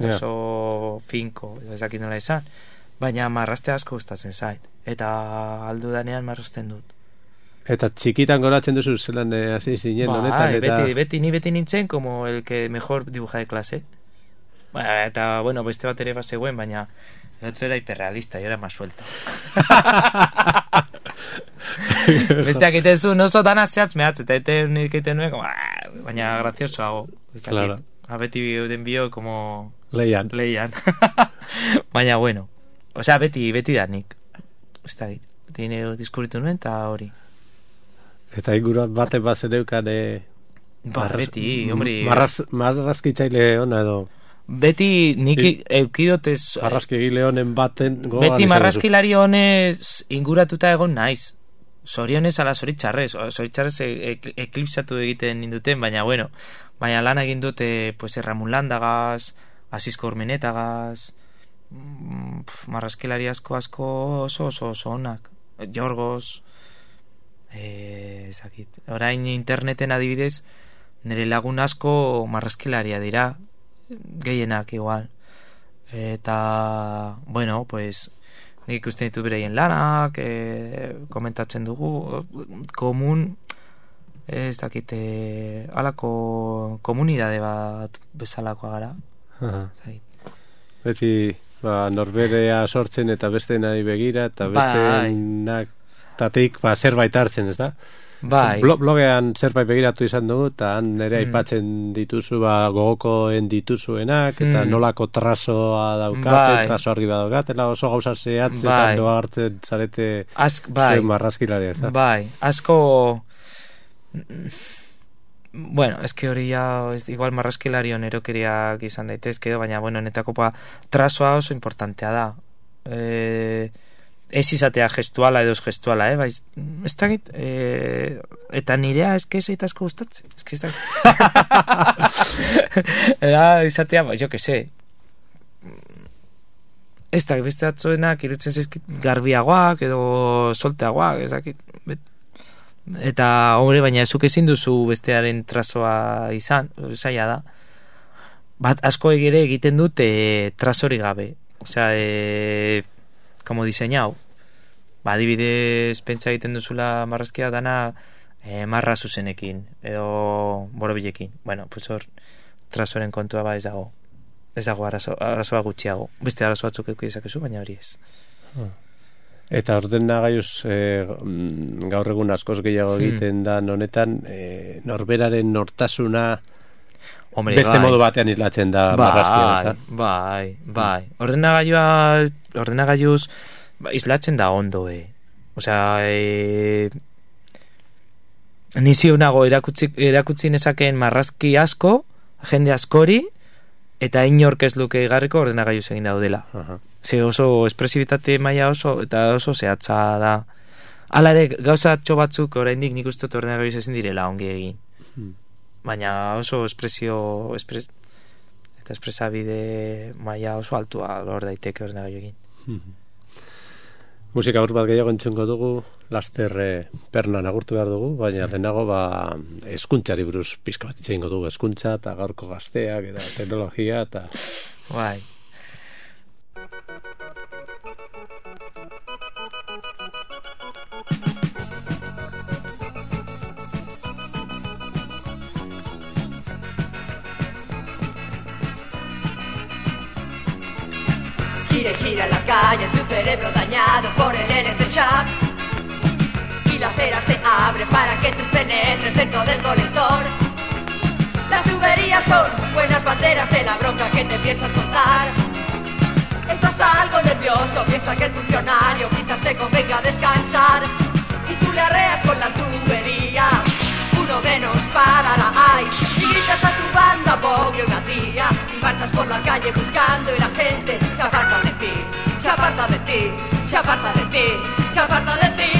S2: oso yeah. finko, ez dakit nola izan, baina marraste asko gustatzen zait, eta aldu danean marrasten dut.
S1: Eta txikitan goratzen duzu zelan hasi zinen
S2: ba,
S1: honetan eta...
S2: beti, beti, ni beti nintzen como el que mejor dibuja de clase. Ba, eta, bueno, beste bat ere bazegoen, baina el otro era hiperrealista, yo era más suelto. Besteak egiten zuen oso dana zehatz mehatz, eta egiten egiten nuen, como, baina grazioso hago.
S1: Claro.
S2: A beti den bio, como...
S1: Leian.
S2: Leian. Baina, bueno. Osea, beti, beti da nik. Ez da, beti nire diskuritu nuen, eta hori.
S1: Eta inguruan baten bat zeneukan... E,
S2: ba, beti, hombre...
S1: Marraz, marrazkitzaile ona edo...
S2: beti nik eukidotez...
S1: Marraskigile honen baten...
S2: Beti marraskilari honez inguratuta egon naiz. Zorionez ala zoritxarrez. Zoritxarrez eklipsatu egiten ninduten, baina bueno, baina lan egin dute pues, Erramun Landagaz, Asisko Urmenetagaz, marraskilari asko asko oso oso oso onak. Jorgos, eh, ezakit. Orain interneten adibidez, nire lagun asko marraskilaria dira, gehienak igual. Eta, bueno, pues... nik ikusten ditu bereien lanak, e, komentatzen dugu, komun, ez dakite, alako komunidade bat bezalakoa gara.
S1: Beti, ba, norberea sortzen eta beste nahi begira, eta beste nak tatik, ba, zerbait hartzen, ez da?
S2: Bai.
S1: Blogean zerbait begiratu izan dugu, eta han nire aipatzen mm. dituzu, ba, gogokoen dituzuenak, eta mm. nolako trasoa daukate, bai. Traso argi bat daukatela, oso gauza zehatz, bai. Eta noa hartzen zarete
S2: Ask, bai.
S1: zuen marraskilari, ez da?
S2: Bai, asko... Bueno, es que hori ya, es, igual marraskilari onerokeriak izan daitezke, baina, bueno, netako pa, trasoa oso importantea da. Eh... Ez izatea gestuala edo gestuala, eh? Baiz, ez dakit, eh, eta nirea eske zeita asko gustatzen. Eske ez dakit. Eta izatea, ba, jo que se. Ez dakit, beste atzoenak irutzen zaizkit garbiagoak edo solteagoak, ez dakit. Eta, hombre, baina zuk ezin duzu bestearen trazoa izan, zaila da. Bat asko egire egiten dute trazori gabe. Osea, eh... como diseñado. Ba, adibidez, pentsa egiten duzula marrazkia dana eh, marra zuzenekin, edo borobilekin. Bueno, pues hor, trasoren kontua ba ez dago. Ez dago arazo, arazoa gutxiago. Beste arazo batzuk eukidezak dezakezu, baina hori ez.
S1: Eta ordenagailuz eh, gaur egun askoz gehiago egiten hmm. da honetan, eh, norberaren nortasuna Hombre, beste bai. Modu batean islatzen da bai, marrazkia,
S2: bai, bai. Ordenagailua, ordenagailuz ba, islatzen da ondo, eh. Osea, eh, nizio nago erakutsi, erakutsi nezakeen marrazki asko, jende askori, eta inork ez luke igarriko ordenagailuz egin daudela. Uh-huh. Ze oso espresibitate maila oso, eta oso zehatza da. Hala ere, gauza txo batzuk oraindik nik uste ordenagailuz ezin direla ongi egin. Hmm. Baina oso espresio espres, eta espresabide maila oso altua lor daiteke ordenagailuekin. Mm-hmm.
S1: Musika aur bat gehiago entzungo dugu, laster eh, pernan agurtu behar dugu, baina lehenago ba hezkuntzari buruz pizka bat itxeingo dugu, hezkuntza eta gaurko gazteak eta teknologia eta
S2: bai.
S5: Gira y gira en la calle, tu cerebro dañado por el N F shock. Y la acera se abre para que tú penetres dentro del colector. Las tuberías son buenas banderas de la bronca que te piensas contar. Estás algo nervioso, piensa que el funcionario quizás te convenga a descansar. Y tú le arreas con la tubería, uno menos para la I. Y gritas a tu banda, pobre una tía. Y marchas por la calle buscando y la gente se aparta de ti, se aparta de ti, se aparta de ti, se aparta de ti.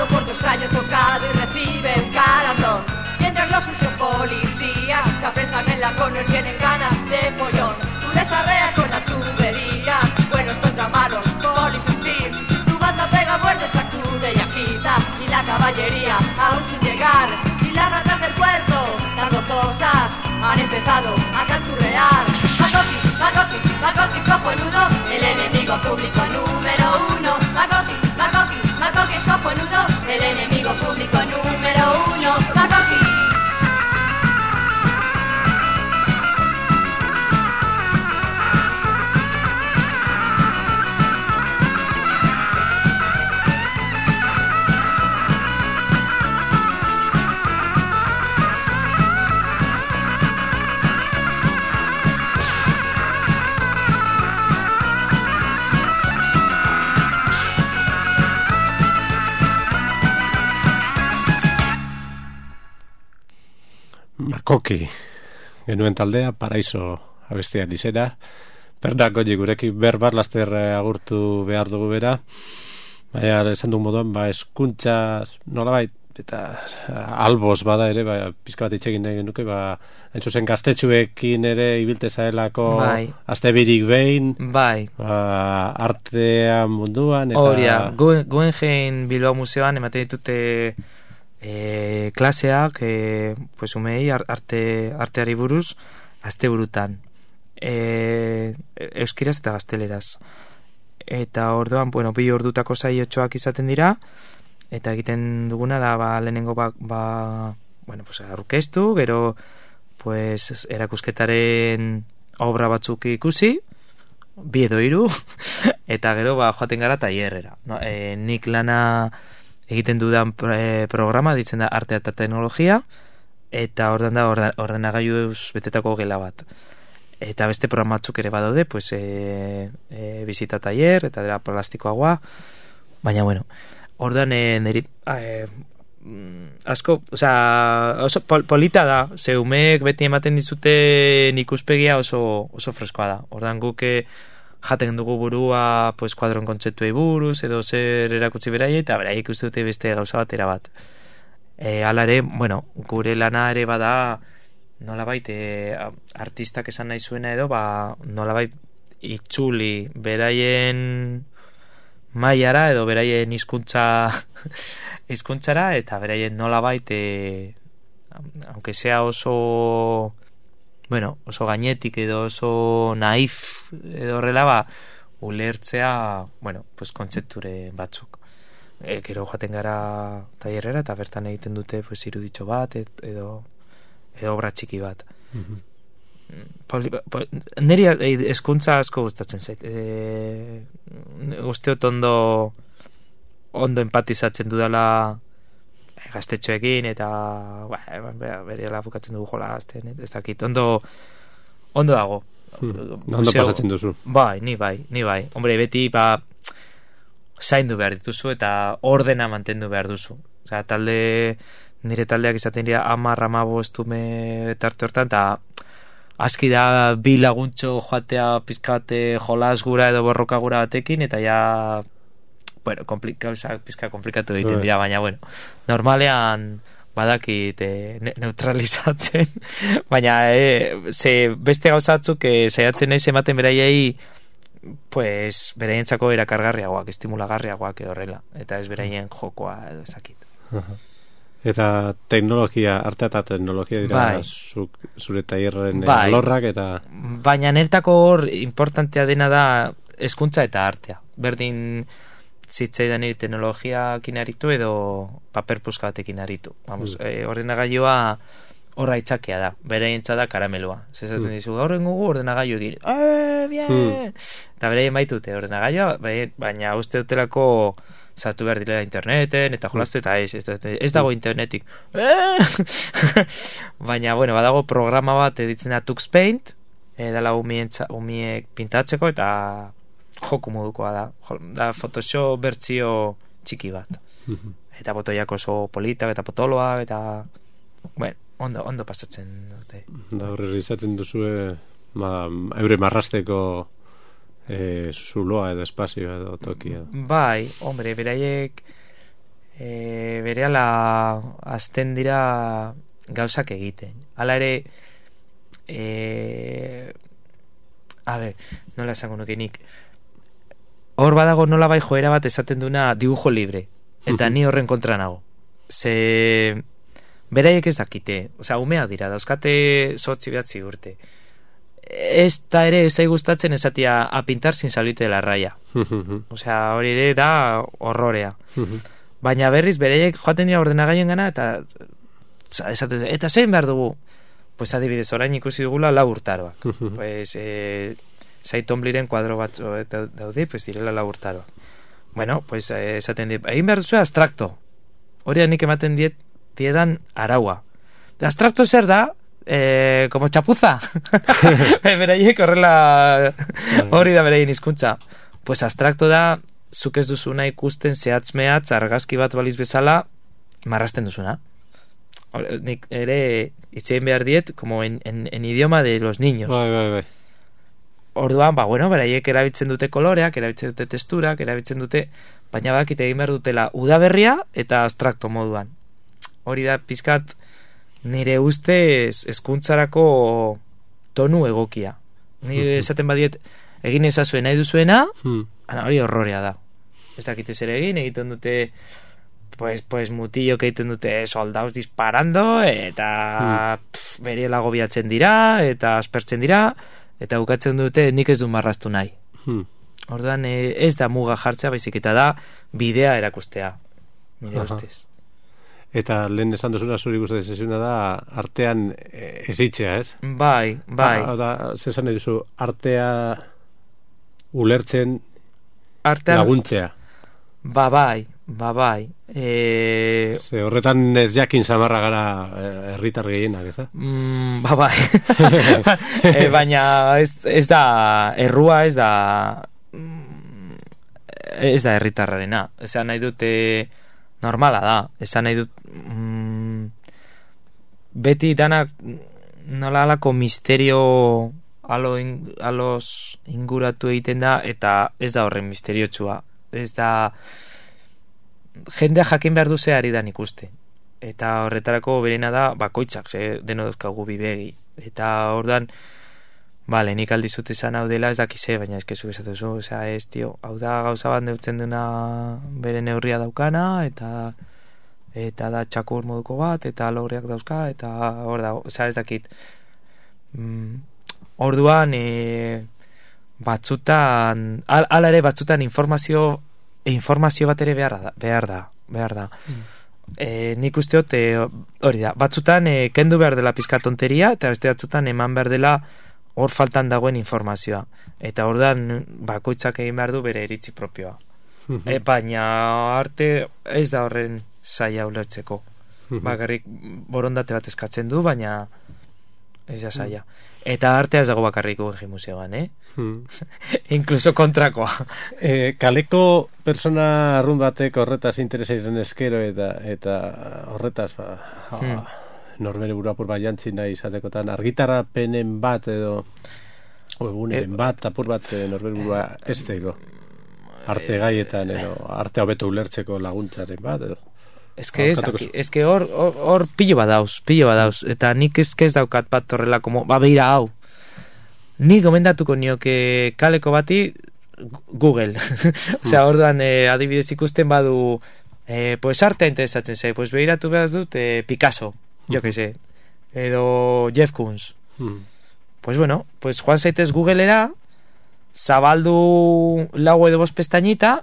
S5: Por tu extraño tocado y recibe un carambrón. Mientras los sucios policías se apresan en la corner, tienen ganas de pollón. Tú les arreas con la tubería, buenos contra malos, polis y thieves. Tu banda pega, muerde, sacude y agita. Y la caballería aún sin llegar. Y las ratas del puerto, las gozosas, han empezado a canturrear. Macoqui, Macoqui, Macoqui, cojonudo, el enemigo público número uno. Macoqui, Macoqui, Macoqui es cojonudo, el enemigo público número uno. Macoqui.
S1: Makoki genuen taldea, Paraiso abestian izena. Pernak goi gurekin berbar laster agurtu behar dugu bera. Baina esan dugu moduan, ba, eskuntza nolabait, eta albos bada ere, ba, pizka bat itxegin nahi genuke, ba, entzuzen gaztetxuekin ere ibilte zaelako
S2: bai.
S1: Astebirik behin,
S2: bai.
S1: Ba, artean munduan, eta...
S2: Horia, Guggenheim Bilbao Museoan ematen ditute e, klaseak, e, pues umei arte, arteari buruz, aste burutan. E, euskiraz eta gazteleraz. Eta orduan, bueno, bi ordutako saiotxoak izaten dira, eta egiten duguna da, ba, lehenengo ba, ba bueno, pues, aurkeztu, gero, pues, erakusketaren obra batzuk ikusi, bi edo hiru, eta gero, ba, joaten gara tailerrera. No? E, nik lana egiten dudan e, programa, ditzen da artea eta teknologia, eta ordan da orden, ordenagailuz betetako gela bat. Eta beste programa batzuk ere badaude, pues, e, e, bizita tailer, eta dira plastikoagoa, baina, bueno, ordan e, neri, e, asko, osea, oso pol, polita da, ze umeek beti ematen dizuten ikuspegia oso, oso freskoa da. Ordan guk jaten dugu burua, pues, kuadron kontzeptuei buruz, edo zer erakutsi beraie, eta beraiek uste dute beste gauza batera bat. E, alare, bueno, gure lana ere bada, nolabait, e, artistak esan nahi zuena edo, ba, nolabait itzuli beraien mailara edo beraien hizkuntza hizkuntzara, eta beraien nolabait, e, aunque sea oso, bueno, oso gainetik edo oso naif edo horrela, ba, ulertzea, bueno, pues kontzepture batzuk. E, gero joaten gara tailerrera, eta bertan egiten dute, pues, iruditxo bat edo edo obra txiki bat. Mm-hmm. Poli, poli, niri hezkuntza asko gustatzen zait. E, usteot ondo ondo empatizatzen dudala gaztetxoekin, eta berela bukatzen dugu jola gazten, ez dakit, ondo ondo dago.
S1: Hmm. Ondo pasatzen duzu.
S2: Bai, ni bai, ni bai. Hombre, beti, ba, zaindu behar dituzu, eta ordena mantendu behar duzu. Osea, talde... nire taldeak izaten dira hamar hamabost ume tarte hortan, eta aski da bi laguntxo joatea pizkate jolas gura edo borroka gura batekin, eta ja, bueno, komplika, pizka komplikatu egiten dira, baina, bueno, normalean badakit e, ne, neutralizatzen, baina e, ze beste gauzatzuk e, saiatzen naiz ematen beraiei, pues, beraientzako erakargarriagoak, estimulagarriagoak edo horrela, eta ez beraien jokoa edo ezakit.
S1: Uh-huh. Eta teknologia, arte eta teknologia dira, bai. Zuk, zure tailerren bai. Lorrak eta...
S2: Baina nertako hor importantea dena da hezkuntza eta artea. Berdin zitzaidan iri teknologiakin aritu edo paper puska batekin aritu. Vamos, mm. e, ordenagailua horra itxakea da, beraientza da karamelua. Zezaten mm. dizu, gaur engugu ordenagailu egin. Eh, bien! Mm. Eta beraien baitute ordenagailua, baina uste dutelako... Zatu behar direla interneten, eta jolazte, eta ez, ez, ez dago internetik. Baina, bueno, badago programa bat editzen da Tux Paint, edala umiek pintatzeko, eta joku modukoa da. Da Photoshop bertzio txiki bat. Eta botoiak oso politak, eta potoloak, eta... Bueno, ondo, ondo pasatzen dute.
S1: Da horre izaten duzue, ma, eure marrasteko... E, zuloa edo espazioa edo tokia.
S2: Bai, hombre, beraiek e, berehala azten dira gauzak egiten. Hala ere e, a ber, nola esango nuke nik hor badago nola bai joera bat esaten duna dibujo libre, eta ni horren kontra nago. Ze beraiek ez dakite, osea, umeak dira, dauzkate zortzi behatzi urte. Ez da ere ezai gustatzen esatia a pintar sin salirte de la raya. Osea, hori ere da horrorea. Baina berriz bereiek joaten dira ordenagailen gana, eta esaten, eta zein behar dugu? Pues adibidez, orain ikusi dugula lau urtaroak. Pues eh, Zaitombliren kuadro bat daude, pues direla lau urtaroak. Bueno, pues esaten dira, egin behar duzu abstrakto. Hori nik ematen diet diedan araua. Abstrakto zer da? Eh, como chapuza. Beraiek horrela hori da beraien hizkuntza. Pues abstrakto da, zuk ez duzuna ikusten zehatz mehatz argazki bat baliz bezala marrasten duzuna. nik ere itzein behar diet, como en, en, en idioma de los niños.
S1: Bai, bai, bai.
S2: Orduan, ba, bueno, beraiek erabiltzen dute koloreak, erabiltzen dute testurak, erabiltzen dute, baina bakit egin behar dutela udaberria eta abstrakto moduan. Hori da, pizkat, nire ustez hezkuntzarako tonu egokia. Ni esaten badiet, egin ezazuen nahi duzuena,
S1: Hmm.
S2: hori horrorea da. Ez dakite zer egin, egiten dute, pues, pues mutillo que egiten dute soldados disparando, eta
S1: Hmm.
S2: pff, beriela gobiatzen dira, eta aspertzen dira, eta bukatzen dute nik ez du marraztu nahi.
S1: Hmm.
S2: Orduan eh, ez da muga jartzea, baizik eta da bidea erakustea, nire
S1: Aha.
S2: ustez.
S1: Eta lehen esan duzuna zuri gustatzen zaizuna da artean eh, ezitzea, ez?
S2: Bai, bai.
S1: Ah, da, zesan nahi duzu, artea ulertzen
S2: Artean,
S1: laguntzea.
S2: ba bai, ba bai. E,
S1: Ze horretan ez jakin samarra gara eh, herritar gehienak, ez da?
S2: mm, ba bai. e, baina ez, ez da, errua ez da, mm, ez da herritarrarena. Esan nahi dute normala da. Esan nahi dut mm, beti danak nola alako misterio alo in, alos inguratu egiten da, eta ez da horren misteriotsua. Ez da jendea jakin behar duze ari dan ikuste. Eta horretarako berena da bakoitzak, ze deno dauzkagu bibegi. Eta ordan, vale, nik aldizut esan hau dela ez dakize, baina ez kezu esatu zu, osea, ez, tio, hau da gauza bat neutzen duna bere neurria daukana, eta eta da txakur moduko bat, eta logreak dauzka, eta hor da, osea, ez dakit. Mm, orduan, e, batzutan, al, ala ere batzutan informazio informazio bat ere behar da, behar da, behar da. Mm. E, nik usteot, e, hori da, batzutan e, kendu behar dela pizka tonteria, eta beste batzutan eman behar dela hor faltan dagoen informazioa. Eta ordan bakoitzak egin behar du bere iritzi propioa. E, baina arte ez da horren saia ulertzeko. Bakarrik borondate bat eskatzen du, baina ez da saia. Eta artea ez dago bakarrik Guggenheim Museoan, eh? Hmm. Inkluso kontrakoa.
S1: E, kaleko persona arrun batek horretaz interesairen eskero eta eta horretaz ba, hmm. norbere burapur bat jantzi nahi izatekotan argitarapenen bat edo eguneren e, bat apur bat norbere burua esteko arte gaietan edo arte hobeto ulertzeko laguntzaren bat edo
S2: Ez que ez, ez que hor, hor, hor pillo badauz, pillo badauz, eta nik ez ez daukat bat horrela, como, ba, beira hau. Ni gomendatuko nioke kaleko bati Google. Osea, orduan, eh, adibidez ikusten badu, eh, pues artea interesatzen zei, pues behiratu behar dut eh, Picasso, jo que sé, edo Jeff Koons. Pues bueno, pues joan zaitez Googlera, zabaldu lau edo bost pestañita,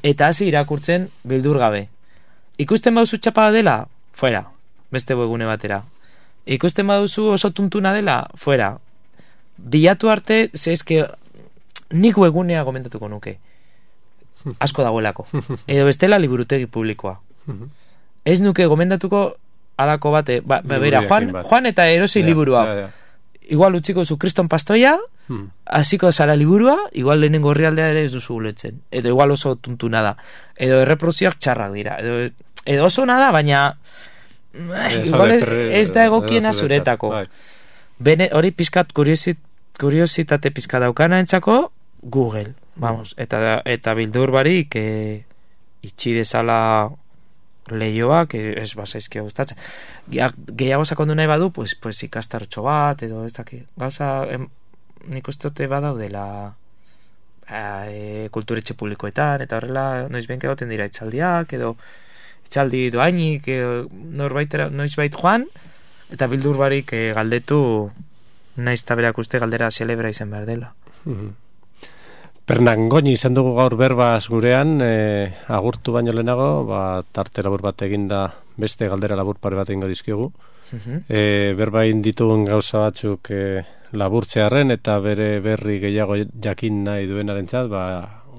S2: eta hasi irakurtzen bildur gabe. Ikusten baduzu txapa dela, fuera, beste webgune batera. Ikusten baduzu oso tuntuna dela, fuera. Bilatu arte, ze eske nik webgunea gomendatuko nuke. Asko dagoelako. Edo bestela liburutegi publikoa. Ez nuke gomendatuko alako bate, ba, ba, bera, Juan, Juan eta erosi liburua. Ja, ja. Igual utziko zu Kriston Pastoia, hasiko zara liburua, igual lehenengo orrialdea ere ez duzu uletzen. Edo igual oso tuntuna da. Edo erreprozioak txarrak dira. Edo edo oso nada, baina eh, igual ez da egokiena zuretako. Bene, hori pizkat kuriosit, kuriositate pizka daukana entzako Google, vamos, eta, eta bildur barik eh, itxi dezala lehioak, ez bazaizkia gustatzen. Gehiago sakondu nahi badu, pues, pues ikastartxo bat, edo ez daki, gauza, em, nik ustote badaudela e, kulturetxe publikoetan, eta horrela noiz benke goten dira itzaldiak, edo itzaldi doainik, norbait, noizbait joan, eta bildur barik e, galdetu naiz taberak uste galdera celebra izan behar dela.
S1: Mm-hmm. Pernangoni izan dugu gaur berbaz gurean, e, agurtu baino lehenago, ba, tarte labur bat eginda beste galdera labur pare bat egingo dizkigu. Mm-hmm. E, berba ditugun gauza batzuk e, laburtzearen eta bere berri gehiago jakin nahi duenarentzat, ba,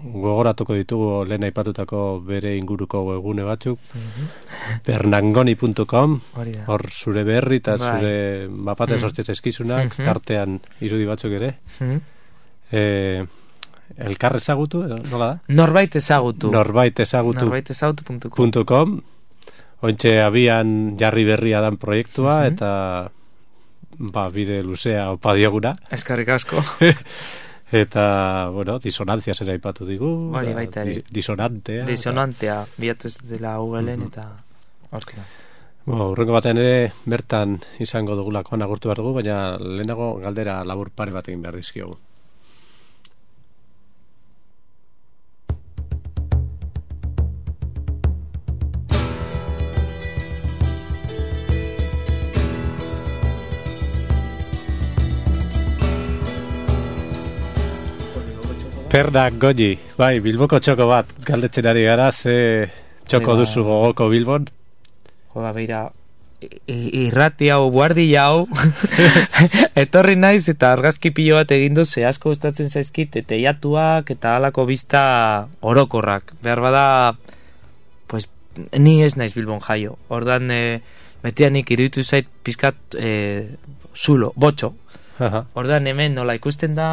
S1: gogoratuko ditugu lehen aipatutako bere inguruko webgune batzuk. Mm-hmm. pernangoni puntu com, hor zure berri eta bai. Zure mapate mm-hmm. sortzez eskizunak, mm-hmm. tartean irudi batzuk ere. Mm-hmm. E, elkar ezagutu, nola da?
S2: Norbait ezagutu.
S1: Norbait ezagutu.
S2: Norbait ezagutu puntu com.
S1: ointxe abian jarri berria dan proiektua,
S2: Mhm.
S1: eta ba, bide luzea opa dioguna.
S2: Eskarrik asko.
S1: Eta, bueno, disonantzia zera ipatu digu.
S2: Hori
S1: ba,
S2: baita ere.
S1: di- Disonantea.
S2: Disonantea, bilatu ez dela Googleen,
S1: Mhm.
S2: eta... Ostia.
S1: Bo, urrengo batean ere bertan izango dugulakoan agurtu behar dugu, baina lehenago galdera labur pare bat egin behar dizkiogu. Pernak goji, bai, Bilboko txoko bat, galdetzen ari gara, ze txoko
S2: Bai, ba.
S1: duzu gogoko Bilbon?
S2: Joa, beira, i- irrati hau, guardi hau, etorri naiz eta argazki pilo bat egin du, ze asko gustatzen zaizkit, teiatuak eta halako bista orokorrak. Behar bada, pues, ni ez naiz Bilbon jaio. Ordan, e, betianik iruditu zait pizkat e, zulo, botxo.
S1: Aha.
S2: Ordan hemen nola ikusten da...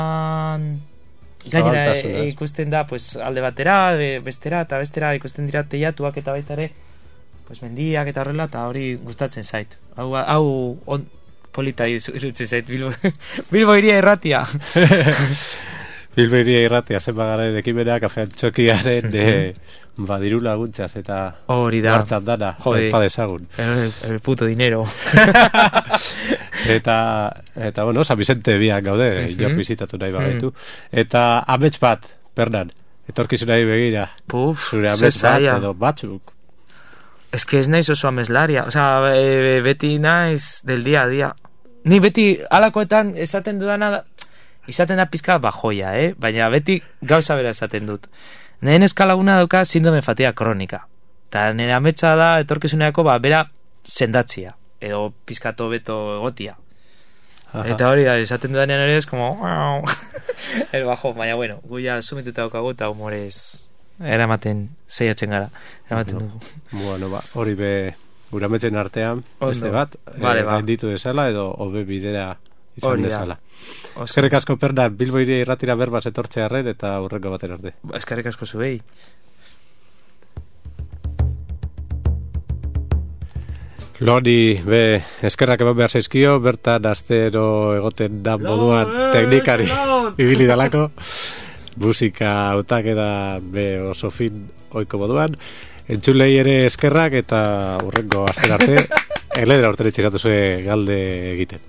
S2: Gainera e,
S1: Zabaltasunaz.
S2: e, ikusten da pues, alde batera, e, bestera eta bestera ikusten dira teiatuak eta baita ere pues, mendiak eta horrela, eta hori gustatzen zait. Hau, hau on, polita irutzen zait, Bilbo, Bilbo iria erratia.
S1: Bilbo iria irratia zen bagaren ekimena, kafean txokiaren de, badiru laguntzaz eta
S2: Hori da.
S1: hartzat dana,
S2: Jode.
S1: opa dezagun.
S2: El, el puto dinero.
S1: Eta, eta bueno, San Vicente biak gaude,
S2: Mhm.
S1: inor bizitatu nahi bagaitu. Eta amets bat, Pernan, etorkizunari begira,
S2: Puf,
S1: zure
S2: ze
S1: amets bat
S2: zaila.
S1: edo batzuk.
S2: Es que ez naiz oso ameslaria. O sea, e, beti naiz del día a día. Ni beti alakoetan esaten dudana da, izaten da pizka bajoia, eh? Baina beti gauza bera esaten dut. Nehen eskalaguna dauka sindrome fatiga kronika. Eta nire ametsa da etorkizuneako ba, bera sendatzia. Edo pizkato beto egotia.
S1: Aha.
S2: Eta hori da, esaten dudanean ere es como... el bajo, baina bueno, gu ja sumituta daukagu eta humorez eramaten zeiatzen gara. Eramaten dugu.
S1: Bueno, ba, hori be, gure ametsen artean,
S2: Ondo.
S1: beste bat,
S2: Vale,
S1: eh,
S2: ba.
S1: gainditu desala edo hobe bidera izan
S2: Hori da.
S1: desala.
S2: Oso.
S1: Eskerrik asko Pernan, Bilbo iria irratira berbaz etortzearren eta urrengo baten arte.
S2: Eskerrik asko zuei.
S1: Loni, be, eskerrak eman behar zaizkio, bertan astero egoten da moduan teknikari ibili dalako, musika hautak eda be oso fin oiko moduan, entzulei ere eskerrak eta urrengo aster arte, eledera urten etxeratu zuen galde egiten.